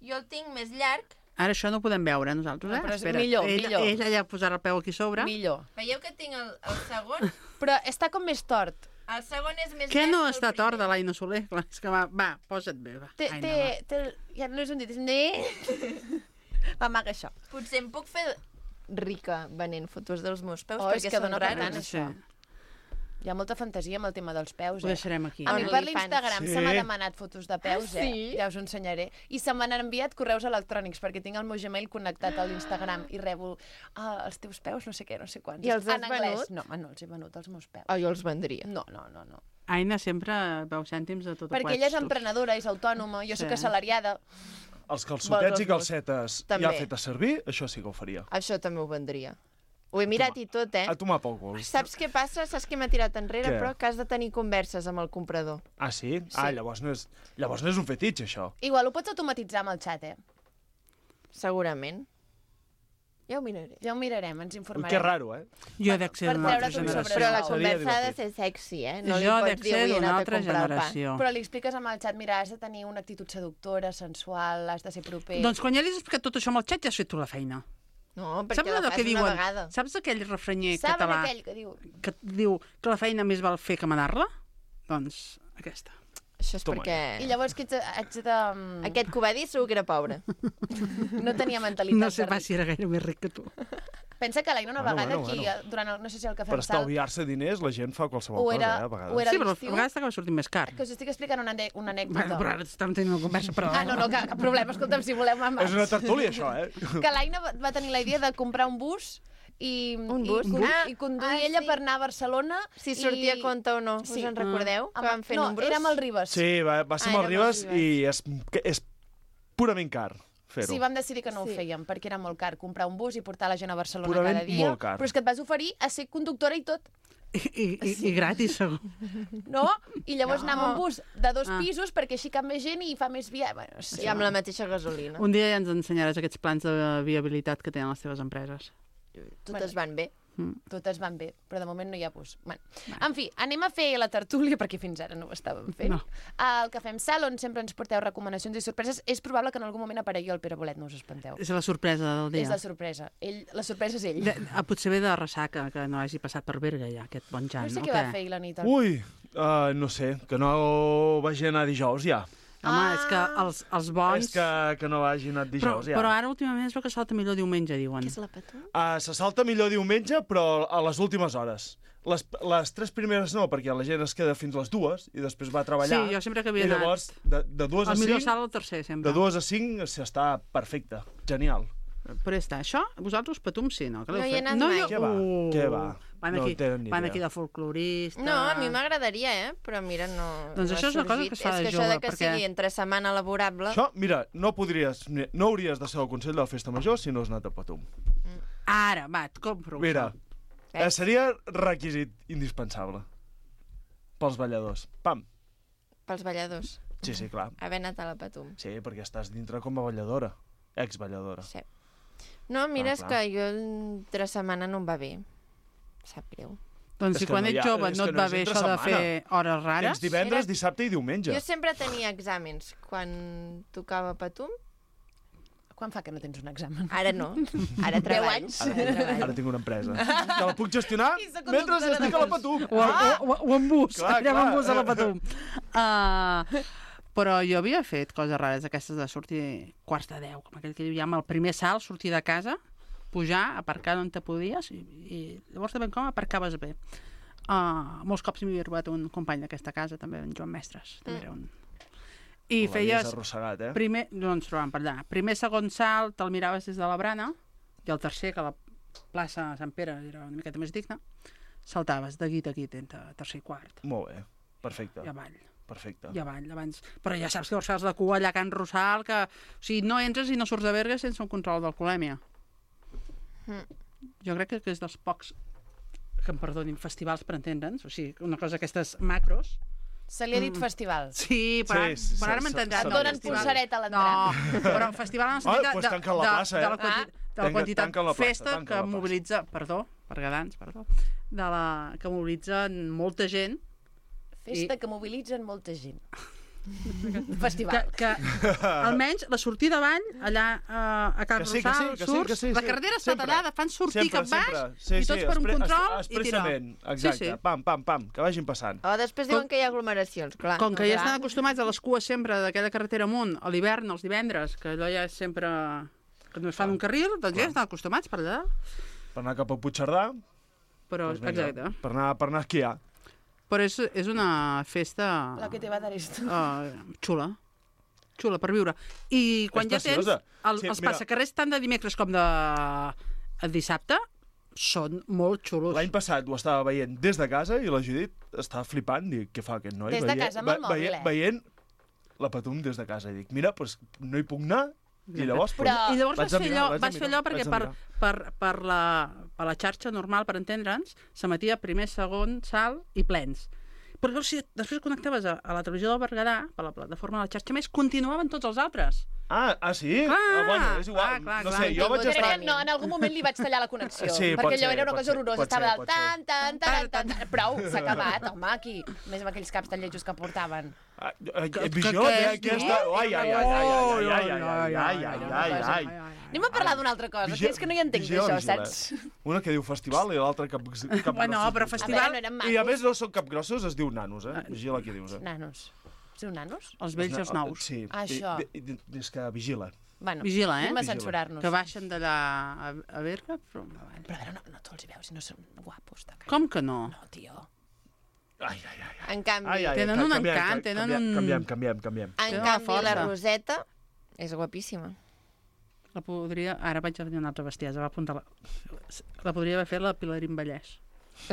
jo el tinc més llarg. Ara això no ho podem veure, nosaltres, eh? No, però és Espera. millor, ell, millor. Ell allà posarà el peu aquí sobre. Millor. Veieu que tinc el, el segon? Però està com més tort. El segon és més Què llarg no que el està primer. tort de l'Aina Soler? Clar, és que va, va, posa't bé, va. Té, Aina, té, va. té, ja no és un dit, és un dit. Va, maca, això. Potser em puc fer rica venent fotos dels meus peus, Oh, és perquè que són dona per rares. tant, això. Hi ha molta fantasia amb el tema dels peus, Ho eh? deixarem aquí. A mi per OnlyFans. l'Instagram Sí. se m'ha demanat fotos de peus, Ah, eh? sí? Ja us ho ensenyaré. I se m'han enviat correus electrònics, perquè tinc el meu Gmail connectat a l'Instagram i rebo ah, els teus peus, no sé què, no sé quants. I els has en anglès. venut? No, home, no els he venut, els meus peus. Oh, jo els vendria. No, no, no, no. Aina sempre veu cèntims de tot Perquè ella és emprenedora, és autònoma, jo sóc Sí. assalariada. Els calçotets Vols i els meus? calcetes També. ja fetes servir, això sí que ho faria. Això també ho vendria. Ho he mirat i tot, eh? A tomar pel cul. Saps què passa? Saps què m'ha tirat enrere? Què? Però que has de tenir converses amb el comprador. Ah, sí? Ah, llavors no és, llavors no és un fetitx, això. Igual ho pots automatitzar amb el xat, eh? Segurament. Ja ho miraré. Ja ho mirarem, ens Ui, informarem. que raro, eh? Jo he de ser per d'una altra treure't un sobre- generació. Però la Seria conversa ha de divertit. ser sexy, eh? No li Jo pots dec dir ser avui he d'una anat a altra comprar el pa. generació. Però li expliques amb el xat, mira, has de tenir una actitud seductora, sensual, has de ser proper. Doncs quan ja li has explicat tot això amb el xat, ja has fet tu la feina. No, perquè Saps la allò fas que una diuen? vegada. Saps aquell refrenyer Saben català aquell que diu... que diu que la feina més val fer que manar-la? Doncs aquesta. Això és Toma. perquè... I llavors que ets, haig de... Aquest que ho va dir segur que era pobre. No tenia mentalitat No sé de pas ric. si era gaire més ric que tu. Pensa que l'Aina una Bueno, vegada bueno, aquí, bueno. durant el, no sé si el cafè Per amb sal, estalviar-se diners, la gent fa qualsevol o era, cosa, eh, a vegades. o era Sí, però a l'estiu, vegades t'acaba sortint més car. que us estic explicant una, ane- una anècdota. Bueno, però ara estem tenint una conversa, però... Ah, no, no, cap, cap problema, escolta'm, si voleu mamà. És una tertúlia, això, eh? Que l'Aina va, va tenir la idea de comprar un bus i, Un i, bus? con- Ah, i conduir ah, ella sí. per anar a Barcelona. Si sortia a i... compte o no. Sí. Us en recordeu? Que van fer no, números? era amb el Ribes. Sí, va, va ser Ah, amb el era amb el Ribes i és, que és purament car fer-ho. Sí, vam decidir que no Sí. ho fèiem, perquè era molt car comprar un bus i portar la gent a Barcelona Purament cada dia. molt car. Però és que et vas oferir a ser conductora i tot, I, i, i, i gratis, segur. no? I llavors No. no. anàvem amb un bus de dos Ah. pisos perquè així cap més gent i fa més via... Bueno, no sé. I amb la mateixa gasolina. Un dia ja ens ensenyaràs aquests plans de viabilitat que tenen les teves empreses. Totes van bé. Totes van bé, però de moment no hi ha bus. Bueno. En fi, anem a fer la tertúlia, perquè fins ara no ho estàvem fent. No. El Cafè amb Sal, on sempre ens porteu recomanacions i sorpreses. És probable que en algun moment aparegui el Pere Bolet, no us espanteu. És la sorpresa del dia. És la sorpresa. Ell, la sorpresa és ell. De, ah, potser ve de ressaca, que no hagi passat per Berga ja, aquest bon Jan. No sé o què va fer ahir la nit. El... Ui, uh, no sé, que no vagi anar dijous ja. Home, Ah. és que els, els bons... És que, que no vagi anat Però, dijous ja. però ara últimament es veu que salta millor diumenge, diuen. Què és la patum? Uh, se salta millor diumenge, però a les últimes hores. Les, les tres primeres no, perquè la gent es queda fins les dues i després va a treballar. Sí, jo sempre que havia I anat. llavors, de, de dues a El millor cinc, salt al tercer, sempre. de dues a cinc s'està perfecte, genial. Però ja està, això, vosaltres patum sí, no? Que No l'heu hi he fet? anat no, mai. jo- Què va? Uh, Què va? Van No aquí, tenen ni van idea. aquí de folclorista... No, a mi m'agradaria, eh? Però mira, no... Doncs no això ha és una cosa sorgit. que es fa de És que jove, això de que perquè- sigui entre setmana laborable... Això, mira, no podries, no hauries de ser el Consell de la Festa Major si no has anat a Patum. Ara, va, et compro. Mira, Eh? eh, seria requisit indispensable pels balladors. Pam. Pels balladors. Sí, sí, clar. Haver anat a la patum. Sí, perquè estàs dintre com a balladora, ex-balladora. Sí. No, mira, Ah, és clar. que jo entre setmana no em va bé. Sap greu. Doncs És si que quan no hi ets ha- jove és no que et no va és bé entre això de setmana. fer hores rares... Tens divendres, Era- dissabte i diumenge. Jo sempre tenia exàmens quan tocava patum. Quan fa que no tens un examen? Ara no. Ara treballo. anys? Ara treballo. Ara tinc una empresa. Que la puc gestionar I soc mentre conductora estic de a la bus. Patum. O, ah! o, o, o en bus, Clar, anem clar. en bus a la Patum. Uh, però jo havia fet coses rares aquestes de sortir quarts de deu, com aquell que diu ja amb el primer salt, sortir de casa, pujar, aparcar on te podies i, i llavors de ben com aparcaves bé. Uh, molts cops m'hi havia trobat un company d'aquesta casa, també en Joan Mestres, també era un... I L'havies feies... arrossegat, eh? Primer... No ens trobàvem per allà. Primer, segon salt, te'l miraves des de la brana, i el tercer, que la plaça Sant Pere era una miqueta més digna, saltaves de guit a guit entre tercer i quart. Molt bé, perfecte. I avall. Perfecte. I avall, abans. Però ja saps que fas de cua allà a Can Rossal, que... O sigui, no entres i no surts de Berga sense un control d'alcoholèmia. Mm. Jo crec que és dels pocs, que em perdonin, festivals per entendre'ns, o sigui, una cosa d'aquestes macros. Se li ha dit Mm. festival. Sí, però, Sí, sí, però ara sí, m'entendràs. se- Et se- donen festival. pulsareta a l'entrar. No, però un festival en el sentit Ah, de, doncs de, tanquen la de, plaça, eh? de la, quanti, de la Tanquen- quantitat tanquen la plaça, festa tanquen que la plaça. mobilitza, perdó, bergadans, perdó, de la, que mobilitzen molta gent. Festa I- que mobilitzen molta gent. Que, Festival. que almenys la sortida avall, allà uh, a Can Que sí, que sí, Rossal, que sí, surts, que sí, la sí. carretera està Sempre. tallada, fan sortir Sempre, cap baix, sempre. Sí, i tots sí, per un expre- control, es- i tira. expressament, exacte. Sí, sí. Pam, pam, pam, que vagin passant. O després diuen que hi ha aglomeracions, clar. Com que ja Clar. estan acostumats a les cues sempre d'aquella carretera amunt, a l'hivern, els divendres, que allò ja és sempre... que només fan un carril, doncs ja estan acostumats per allà. Per anar cap a Puigcerdà, Però, doncs vinga, exacte. per anar, per anar a esquiar. Però és, és una festa La que te va dar esto. uh, xula. Xula per viure. I quan És ja tens preciosa. el, Sí, els mira. passacarrers tant de dimecres com de de dissabte, són molt xulos. L'any passat ho estava veient des de casa i la Judit estava flipant. Dic, què fa aquest noi? Des de Veient- casa amb el ve- mòbil, veient, eh? Veient la Patum des de casa. I dic, mira, pues, no hi puc anar. I llavors, Però- pues, I llavors vaig vas a fer mirar, allò, vaig a vas fer mirar, allò perquè vaig a per, mirar. per, per, la, per la xarxa normal, per entendre'ns, s'emetia primer, segon, salt i plens. Però llavors, si després connectaves a, a la televisió del Berguedà, per la plataforma de la xarxa més, continuaven tots els altres. Ah, ah sí? Clar, ah, bueno, és igual. clar, clar, no clar. sé, jo vaig Crec estar... que no, en algun moment li vaig tallar la connexió. Sí, pot perquè allò ser, era una pot cosa ser, horrorosa. pot Estava ser, del pot tan, tan, tan, tan, tan... Prou, s'ha acabat, home, aquí. Més amb aquells caps tan lletjos que portaven. Ah, eh, Que- Visió, que- eh, que aquí és, està... no? Ai, ai, ai, ai, ai, ai, ai, ai, ai, ai, ai, ai. Anem a parlar d'una altra cosa, que és que no hi entenc Vigila, d'això, vigila. saps? Una que diu festival i l'altra cap, cap Bueno, grossos. però A festival... veure, no eren macos. I a més no són capgrossos, es diu nanos, eh? Vigila qui dius, eh? Nanos. Es diu nanos? Els vells i els nous. Sí. Ah, això. I- i- i- És que vigila. Bueno, Vigila, eh? anem a Vigila. censurar-nos. Que baixen d'allà a, a Berga, però... Però a veure, no, no te'ls hi veus si no són guapos. De cara. Com que no? No, tio. Ai, ai, ai. En canvi, ai, ai Tenen ca- un canviem, encant, ca- tenen canviem, un- Canviem, canviem, canviem. en Tenen canvi una la força. Roseta és guapíssima. La podria... Ara vaig a dir una altra bestiesa, va apuntar la... La podria haver fet la Pilarín Vallès.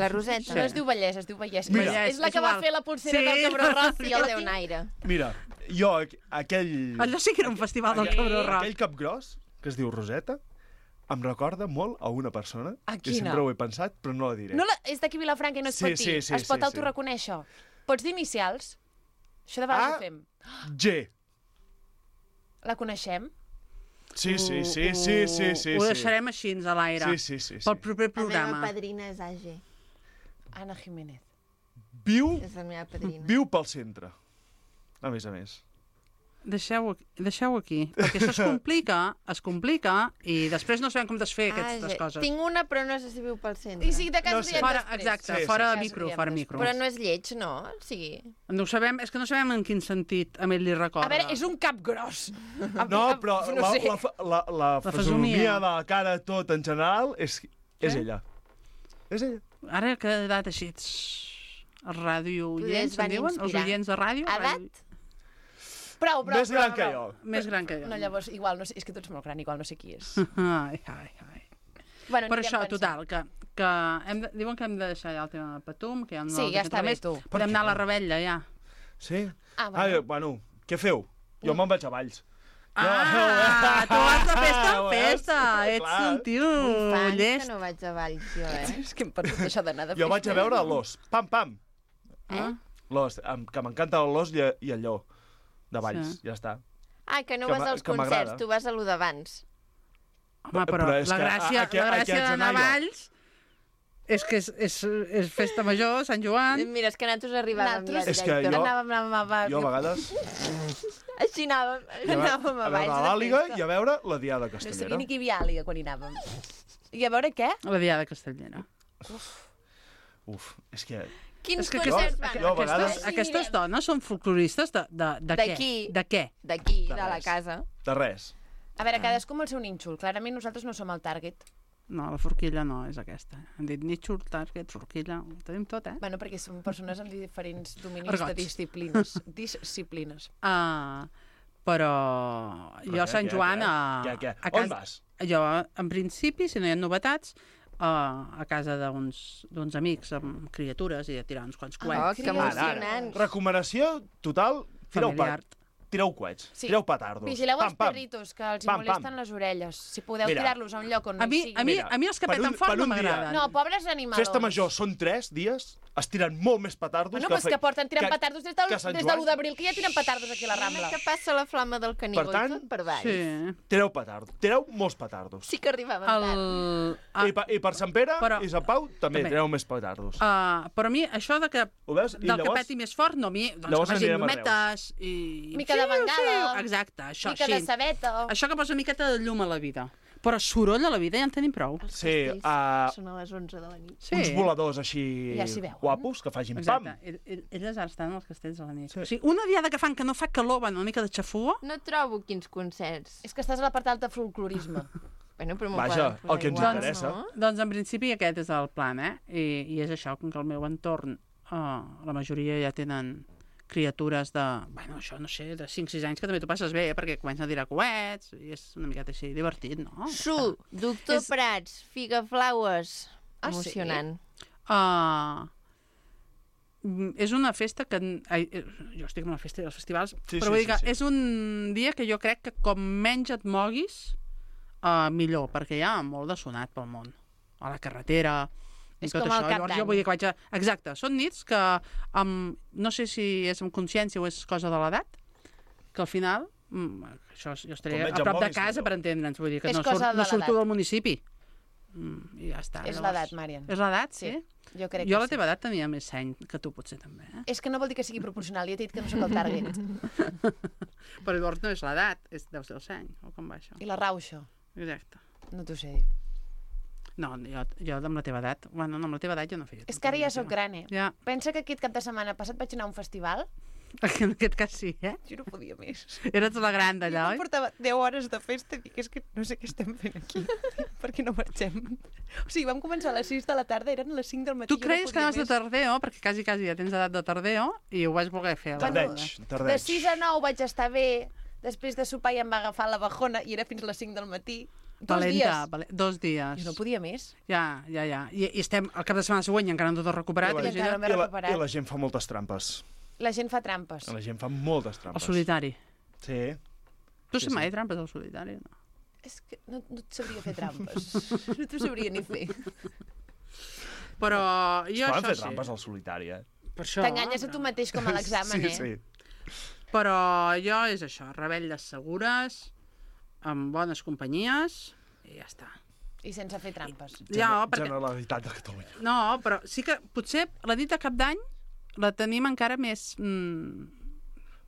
La Roseta. No es diu Vallès, es diu Vallès. Mira. És, és la És que va igual. fer la pulsera Sí. del Cabró Roig. Sí, I el la té un tinc... aire. Mira, jo, aqu- aquell... Allò sí que era un festival del aquell, Cabró Roig. aquell cap gros, que es diu Roseta, em recorda molt a una persona. A que quina? sempre ho he pensat, però no la diré. No la... És d'aquí Vilafranca i no es Sí, pot dir. sí, sí, es pot sí, sí. autorreconèixer. Pots dir inicials? Això de vegades Ah. ho fem. G. La coneixem? Sí, sí, sí, sí, sí, sí. Ho sí. deixarem així a l'aire. Sí, sí, sí, sí. Pel proper La meva programa. padrina és A G. Anna Jiménez. Viu, És la meva padrina. viu pel centre. A més a més. Deixeu-ho deixeu aquí, perquè això es complica, es complica, i després no sabem com desfer aquestes A G. coses. Tinc una, però no sé si viu pel centre. I si de cas No ho sé. diem Fora, després. exacte, Sí, sí, fora sí. de micro, Ja fora us micro. Però no és lleig, no? Sí. No ho sabem, és que no sabem en quin sentit a ell li recorda. A veure, és un cap gros. No, però no la, sé. la, la, la, La fesomia fesomia. de la cara tot en general és, és Què? ella. És ella. Ara he quedat així... tss, Els ràdio Potser oients, es van e'n diuen? Els inspirar. oients de ràdio? Edat? Ràdio- Prou, prou, Més prou, gran que prou. jo. Més gran que jo. No, llavors, igual, no sé, és que tu ets molt gran, igual no sé qui és. Ai, ai, ai. Bueno, Per anirem això, pensant. total, que, que hem de, diuen que hem de deixar ja el tema de Patum, que ja no Sí, ja està bé, tu. Podem anar a la rebella, ja. Sí? Ah, Ah, bueno. bueno, què feu? Jo me'n vaig a Valls. Ah, tu vas de festa en Ho festa. veus? Ets Clar. un tio Fa anys llest. que no vaig a Valls, jo, eh? És que em perdut això d'anar de Jo vaig a festa. veure l'os. Pam, pam. Eh? L'os, em- que m'encanta l'os i, i el lleó. De Valls, Sí. ja està. Ah, que no Que vas m'a- als que m'agrada. concerts, tu vas a lo d'abans. Home, però, Però és la que a- gràcia, a què- la a què gràcia haig d'anar a d'anar jo? Valls és que és, és, és festa major, Sant Joan. Mira, és que nosaltres arribàvem Nosaltres- ja És que directe. jo- Anàvem, anàvem, anàvem, Jo a vegades Així anàvem, a veure, anàvem a a veure Valls l'Àliga de i festa. a veure la Diada No sabia Castellera. ni que hi havia àliga quan hi anàvem. I a veure què? La Diada Castellera. Uf, és que... Quins És que concerts jo- van? jo a Aquestes, vegades- aquestes dones són folcloristes de, de, de què? D'aquí. De què? D'aquí, De de la res. casa. De res. A veure, cadascú amb el seu nínxol. Clarament nosaltres no som el target. No, la forquilla no és aquesta. Han dit Nature, Target, forquilla, ho tenim tot, eh? Bueno, perquè són persones amb diferents dominis Argots. de disciplines. Disciplines. Uh, però Però jo a què, Sant què, Joan... què? A, Què, què? a On casa, vas? Jo, en principi, si no hi ha novetats, uh, a casa d'uns d'uns amics amb criatures i de tirar uns quants Oh, coets. que emocionant. Recomanació total, tireu, pa, Familiar. tireu coets, Sí. tireu petardos. Vigileu els Pam, pam. perritos, que els hi Pam, molesten pam. les orelles. Si podeu Mira. tirar-los a un lloc on no A mi, hi sigui... a mi, Mira, a mi els que per peten un- fort per no un dia. m'agraden. No, pobres animalons. Festa major són tres dies, es tiren molt més petardos Bueno, que... però és que porten tirant que- petardos des de, que Sant des de Joan. l'u d'abril, que ja tiren petardos aquí a la Rambla. que passa la flama del caníbal Per tant, i tot per baix. Sí. Tireu petardos, tireu molts petardos. Sí que arribaven El... tard. Ah, I, per, I per Sant Pere Però- i Sant Pau també, també. tireu més petardos. Uh, però a mi, això de que, Ho veus? I del que llavors- peti més fort, no, a mi, doncs llavors que vagin anirem a llumetes i... Mica de bengala. Exacte, això, Mica així. de sabeta. Això que posa una miqueta de llum a la vida. Però soroll a la vida ja en tenim prou. Els Sí, castells uh, són a les onze de la nit. Sí. uns voladors així Ja s'hi veuen. guapos que facin Exacte. pam. Ell- ell- Elles ara estan als castells a la nit. Sí. O sigui, una diada que fan que no fa calor, van una mica de xafua, No trobo quins concerts. És que estàs a la part alta de folclorisme. bueno, però m'ho Vaja, poden posar el que ens igual, interessa. No? doncs en principi aquest és el plan, eh? I, i és això, com que el meu entorn, uh, la majoria ja tenen criatures de, bueno, això no sé, de cinc sis anys, que també t'ho passes bé, eh? Perquè comencen a tirar coets, i és una miqueta així divertit, no? Su, Doctor És- Prats, Figaflaues. Ah, sí? Emocionant. Uh, és una festa que... Ai, eh, jo estic amb la festa i els festivals, Sí, però sí, vull dir sí, que sí. és un dia que jo crec que com menys et moguis, uh, millor, perquè hi ha molt de sonat pel món. A la carretera, i És tot com això. el Cap Llavors d'Any. jo vull dir que vaig a... Exacte, són nits que, amb, no sé si és amb consciència o és cosa de l'edat, que al final, mm, això, jo estaré Com menys a em prop de moguis, casa millor. per entendre'ns, vull dir que És no, cosa surt, de no surto l'edat. del municipi. Mm, I ja està. És llavors- l'edat, Marian. És l'edat, sí? Sí, jo crec Jo a que la teva edat tenia més seny que tu, potser, també. Eh? És que no vol dir que sigui proporcional, ja t'he dit que no sóc el target. Però llavors no és l'edat, és, deu ser el seny, o com va això? I la rauxa? Exacte. No t'ho sé dir. No, jo, jo amb la teva edat, bueno, no, amb la teva edat jo no feia. És que ara ja sóc gran, eh? Ja, Pensa que aquest cap de setmana passat vaig anar a un festival. en aquest cas sí, eh? Jo no podia més. Eres la gran d'allà, Jo oi? portava deu hores de festa i dic, és que no sé què estem fent aquí. Per què no marxem? O sigui, vam començar a les sis de la tarda, eren les cinc del matí. Tu jo creies que podia anaves de més. tardeo, perquè quasi, quasi ja tens edat de tardeo, i ho vas voler fer. a la Tardeig, boda. De tardeig. sis a nou vaig estar bé, després de sopar ja em va agafar la bajona i era fins a les cinc del matí. Dos Valenta, dies. vale, dos dies. Jo no podia més. Ja, ja, ja. I, I estem al cap de setmana següent i encara no tot recuperat. I la, I encara no m'he i la, recuperat. I la gent fa moltes trampes. La gent fa trampes. La gent fa moltes El trampes. solitari. Sí. Tu Sí, sí, mai sí. trampes al solitari? No? És que no, no et sabria fer trampes. No t'ho sabria ni fer. Però Es jo poden això fer sí. trampes al solitari, eh? Per això, T'enganyes a tu mateix com a l'examen, sí, eh? sí. Però jo és això, rebelles segures, amb bones companyies, i ja està. I sense fer trampes. Ja, Gener- perquè... Generalitat de Catalunya. No, però sí que potser la nit de cap d'any la tenim encara més... Mm...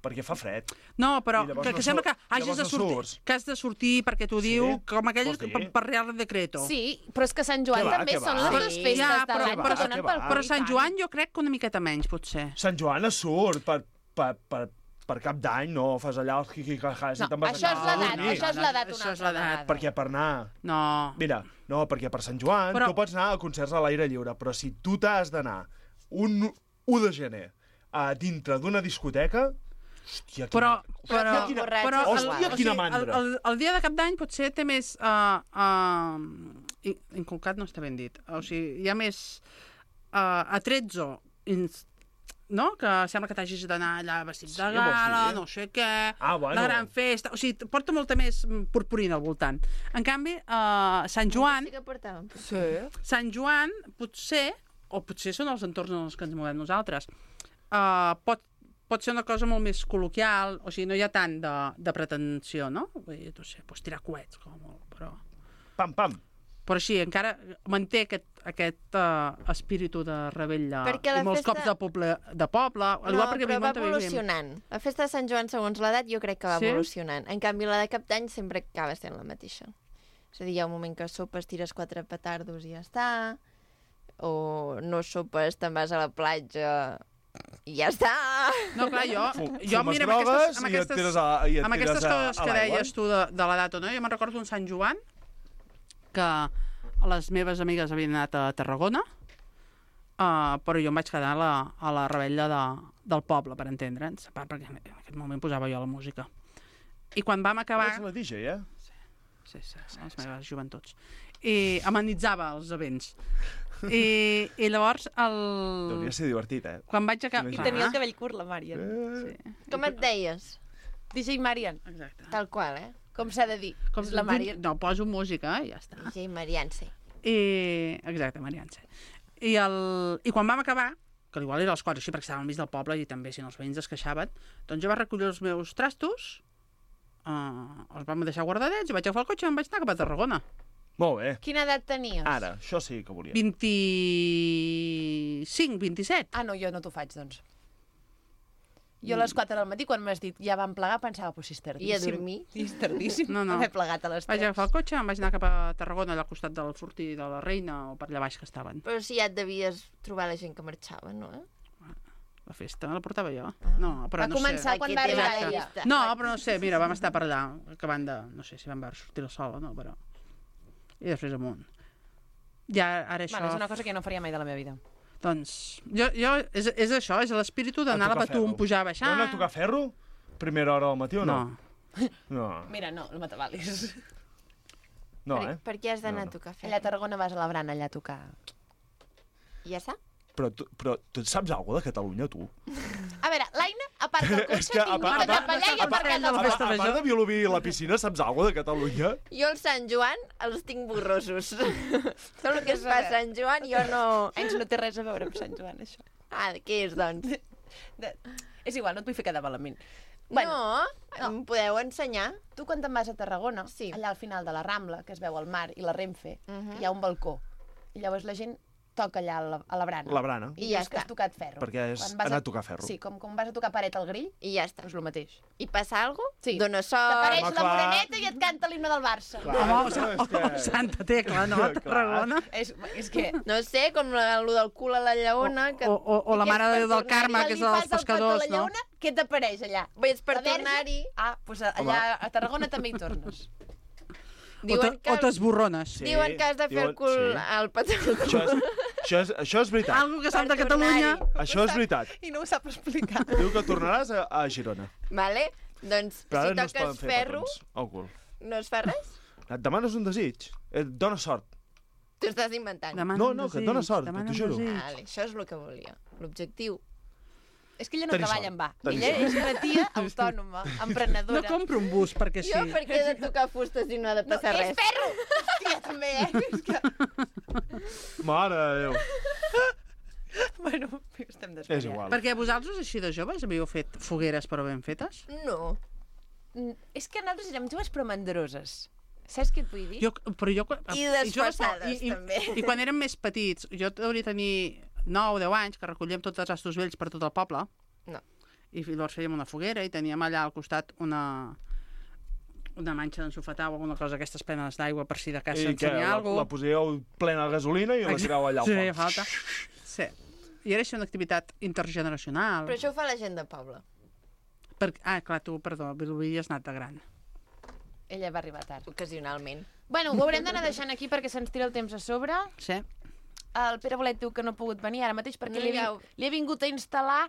Perquè fa fred. No, però I llavors que, no que sembla que sur- hagis llavors de no sortir, surts. que has de sortir perquè t'ho Sí? diu, com aquell Vols dir? per, per real decreto. Sí, però és que Sant Joan Què va, també què són va? les dues festes Ja, de però- l'any però- que donen què pel va? cul. Però Sant Joan jo crec que una miqueta menys, potser. Sant Joan es surt per, per, per, per cap d'any, no? Fas allà els quiquicajàs No, i te'n vas això a és casa a l'edat, dormir. això és l'edat una Això és altra l'edat. vegada. Perquè per anar... No. Mira, no, perquè per Sant Joan Però- tu pots anar a concerts a l'aire lliure, però si tu t'has d'anar un u de gener a dintre d'una discoteca... Hòstia, quina... Però, Però però, que borratxos però, igual. Hòstia, o quina sigui, mandra. El, el, el dia de cap d'any potser té més... Uh, uh, inculcat no està ben dit. O sigui, hi ha més uh, atrezzo, ins, no? Que sembla que t'hagis d'anar allà vestit Sí, de vols gala, dir? no sé què, Ah, bueno. la gran festa... O sigui, porta molta més purpurina al voltant. En canvi, uh, Sant Joan... Sí que portàvem. Sí. Sant Joan, potser, o potser són els entorns en els que ens movem nosaltres, uh, pot, pot ser una cosa molt més col·loquial, o sigui, no hi ha tant de, de pretensió, no? Vull dir, no sé, pots tirar coets, com a molt, però... Pam, pam. Però sí, encara manté aquest, aquest uh, espíritu de rebella Perquè la i molts festa- cops de poble, de poble al No, igual perquè però vivim va on vivim. evolucionant. La festa de Sant Joan, segons l'edat, jo crec que va Sí? evolucionant. En canvi, la de cap d'any sempre acaba sent la mateixa. És a dir, hi ha un moment que sopes, tires quatre petardos i ja està, o no sopes, te'n vas a la platja i ja està. No, clar, jo, Fu- jo fumes mira, amb drogues aquestes, amb i et aquestes, tires a- i et amb tires aquestes a- coses a que l'aigua. deies tu de, de l'edat o no, jo me'n recordo un Sant Joan que les meves amigues havien anat a Tarragona, uh, però jo em vaig quedar a la, a la rebella de, del poble, per entendre'ns, perquè en aquest moment posava jo la música. I quan vam acabar... Ets la D J, eh? Sí, sí, sí, les meves joventuts. I amenitzava els events. I, i llavors el... Hauria ser divertit, eh? Quan vaig acabar... I tenia el cabell curt, la Marian. Eh... Sí. Com et deies? D J Marian. Exacte. Tal qual, eh? Com s'ha de dir. Com És la Marian. No, poso música i ja està. D J Marianse. I... Exacte, Marianse. I, el... I quan vam acabar, que igual era els quatre, així perquè estàvem al mig del poble i també si no els veïns es queixaven, doncs jo vaig recollir els meus trastos, uh, els vam deixar guardadets i vaig agafar el cotxe i em vaig anar cap a Tarragona. Molt bé. Quina edat tenies? Ara, això sí que volia. vint-i-cinc, vint-i-set. Ah, no, jo no t'ho faig, doncs. Jo a les quatre del matí, quan m'has dit ja vam plegar, pensava, pues si és tardíssim. I a dormir? I és tardíssim. No, no. Haver plegat a les Vaig tres. agafar el cotxe, em vaig anar cap a Tarragona, allà al costat del Fortí de la Reina, o per allà baix que estaven. Però si ja et devies trobar la gent que marxava, no? Eh? La festa la portava jo. Ah. No, però Va no començar sé. quan Aquí va té arribar la ella. llista. No, però no sé, mira, vam estar per allà, acabant de... No sé si vam veure sortir el sol o no, però... I després amunt. Ja, ara això... Bueno, és una cosa que jo no faria mai de la meva vida. Doncs, jo, jo és, és això, és l'espíritu d'anar a la Patum, pujar, baixar... No anar a tocar ferro? Primera hora del matí o no? No. No, Mira, no, el Matavalis. no per, eh? per què has d'anar No, no. a tocar Allà a fer? Tarragona vas a la Brana, allà a tocar. I ja està? Però tu, però tu saps alguna de Catalunya, tu? A veure, l'Aina aparca el És cotxe, que, tinc a part- per a cap allà i part- aparcat a el A, part- cotxe. festa a part major. de Vilobí i la piscina, saps alguna de Catalunya? Jo el Sant Joan els tinc borrosos. Tot el que es fa a Sant Joan jo no... Anys no té res a veure amb Sant Joan, això. Ah, què és, doncs? De... És igual, no et vull fer quedar malament. Bueno, no, em podeu ensenyar? Tu quan te'n vas a Tarragona, Sí. allà al final de la Rambla, que es veu el mar i la Renfe, Mhm. hi ha un balcó. I llavors la gent toca allà a la, a la brana. La brana. I, I ja ja que està. has tocat ferro. Perquè és Quan vas anar a tocar ferro. Sí, com, com vas a tocar paret al grill, I ja està. doncs el mateix. I passa alguna cosa? Sí. Dóna sort... T'apareix home, la clar. moreneta i et canta l'himne del Barça. Clar. Home, o, és o, que- o Santa Tecla, no? A Tarragona. És, és que... No sé, com el del cul a la lleona... Que... O, o, o la Mare de Déu del Carme, que és la dels pescadors, no? Què t'apareix allà? Vés per La Verge? tornar-hi. Ah, doncs allà a Tarragona també hi tornes. O Diuen te- que, o t'esborrones. Sí, diuen que has de fer el diuen- cul sí. al petó. Això és, això és, això és veritat. Algo que sap de Per Catalunya. tornar-hi. Això és veritat. I no ho sap explicar. Diu que tornaràs a, a Girona. Vale? Doncs, Però ara si no es poden toques fer ferro, petons al cul. no es fa res? Et demanes un desig. Et dona sort. T'ho estàs inventant. Demana No, un no, que et desig, dona sort, demana t'ho un juro. desig. Vale, això és el que volia. L'objectiu. És que ella no Tenir treballa sort. en va. Tenir Ella sort. és una tia autònoma, emprenedora. No compro un bus perquè sí. Jo per què he de tocar fustes i no ha de No, passar és res? ferro! Hòstia, també, eh? És que... Mare de Déu. Bueno, estem És desvariant. igual. Perquè vosaltres, així de joves, havíeu fet fogueres però ben fetes? No. Mm, És que nosaltres érem joves però mandroses. Saps què et vull dir? Jo, però jo, quan- I joves, desfasades, i, i, també. I quan érem més petits, jo hauria de tenir nou o deu anys, que recollíem tots els astos vells per tot el poble. No. I llavors fèiem una foguera i teníem allà al costat una una manxa d'ensofetar o alguna cosa, aquestes penes d'aigua per si de casa I ens que tenia la, alguna la posíeu plena de gasolina i la tireu allà al Sí, foc. feia falta. Sí. I era així una activitat intergeneracional. Però això ho fa la gent de poble. Per... Ah, clar, tu, perdó, Vilobí has anat de gran. Ella va arribar tard. Ocasionalment. Bueno, ho haurem d'anar deixant aquí perquè se'ns tira el temps a sobre. Sí. El Pere Bolet diu que no ha pogut venir ara mateix perquè No li, he, hi ha- vin- li he vingut a instal·lar...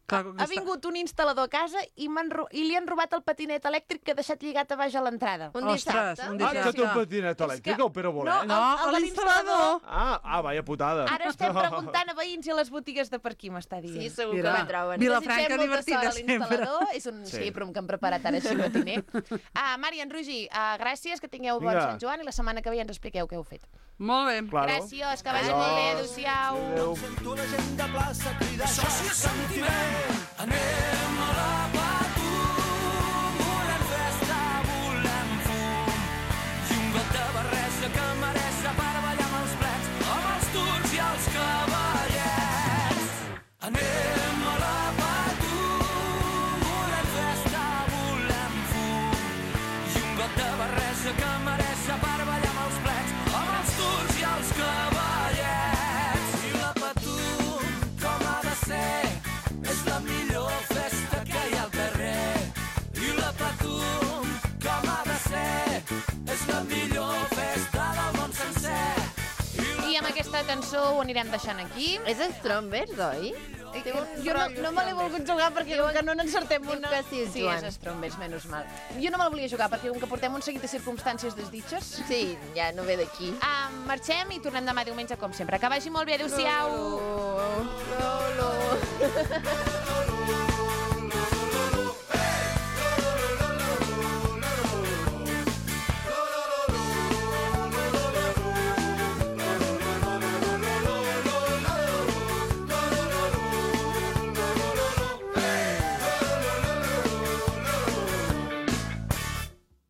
Clar, Ha vingut un instal·lador a casa i, m'han ro- i li han robat el patinet elèctric que ha deixat lligat a baix a l'entrada. Un Ostres, dissabte. un Ah, que té un dissabte. patinet elèctric, el Pere Bolet? No, el- el de l'instal·lador. Ah, ah, vaya putada. Ara estem preguntant a veïns i a les botigues de per aquí, m'està dient. Sí, segur Mira, que la troben. Vilafranca Desitgem molta divertida sort a sempre. l'instal·lador. És un Sí. sí. però que hem preparat ara així matiner. Ah, Marian, Rogi, uh, gràcies, que tingueu bon Vinga. Sant Joan i la setmana que ve ja ens expliqueu què heu fet. Molt bé. Claro. Gràcies, que vagi molt bé, adéu-siau. Adéu. Sento la gent de plaça cridar, això sí és sentiment. Anem a la Patum, volem festa, volem fum. I un got de barreja que mereix per ballar amb els plens, amb els turcs i els cavallets. Anem a la Patum, volem festa, volem fum. I un got de barreja que mereix per ballar amb els plens, amb els turcs i els cavallets. I la Patum, com ha de ser, és la millor festa que hi ha. aquesta cançó ho anirem deixant aquí. És Strombers, oi? Té un Jo no, rotllo no me l'he Strombers. volgut jugar perquè com que no n'encertem Diu una... que sí, sí, Joan. és Strombers, menys mal. Jo no me la volia jugar perquè com que portem un seguit de circumstàncies desditxes... Sí, ja no ve d'aquí. Ah, marxem i tornem demà diumenge com sempre. Que vagi molt bé, adéu-siau. Lolo. Lolo.